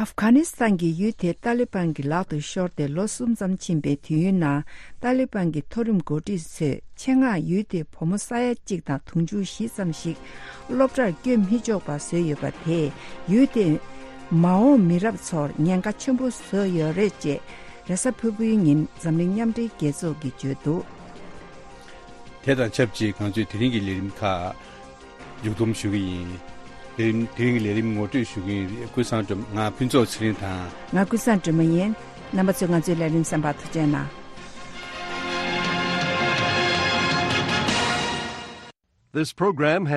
ཨབ་གྷ་ནི་སི་ཐན་གྱི་ཡུལ་དེ་ཏཱ་ལི་བན་གྱི་ལག་ཏུ་ཤོར་ཏེ་ལོ་གསུམ་ཙམ་ཕྱིན་པའི་དུས་ཡུན་ནང་། ཏཱ་ལི་བན་གྱི་མཐོ་རིམ་འགོ་ཁྲིད་ཚོས་ཆེད་མངགས་ཡུལ་དེའི་བུ་མོ་ས་ཡ་གཅིག་དང་དུང་ཕྱུར་བཞི་ཙམ་ཞིག་སློབ་གྲྭར་བསྐྱོད་མི་ཆོག་པ་བཟོས་ཡོད་པ་དེས། ཡུལ་དེའི་མ་འོངས་མི་རབས་ཚོར་ཉེན་ཁ་ཆེན་པོ་བཟོས་ཡོད་རེད་ཅེས། རེས་གཟའ་ཕུར་བུའི་ཉིན་འཛམ་གླིང་མཉམ་འབྲེལ་རྒྱལ་ཚོགས་ཀྱིས་བརྗོད་འདུག་དེ་དང་ཆབས་ཅིག་ང་ཚོས་དེ་རིང་གི་ལས་རིམ་ཁག་མཇུག་བསྡོམས་ཞུ་གི་ཡིན། ལས་རིམ་དེ་རིང་གི་ལས་རིམ་ངོ་སྤྲོད་ཞུ་གི་ཡིན། ཀུན་བཟང་སྒྲོལ་མ། ང་ཕུན་ཚོགས་ཚེ་རིང་དང་། ང་ཀུན་བཟང་སྒྲོལ་མ་ཡིན། རྣམ་པ་ཚོས་ང་ཚོའི་ལས་རིམ་གསན་པར་ཐུགས་རྗེ་གནང་། This program has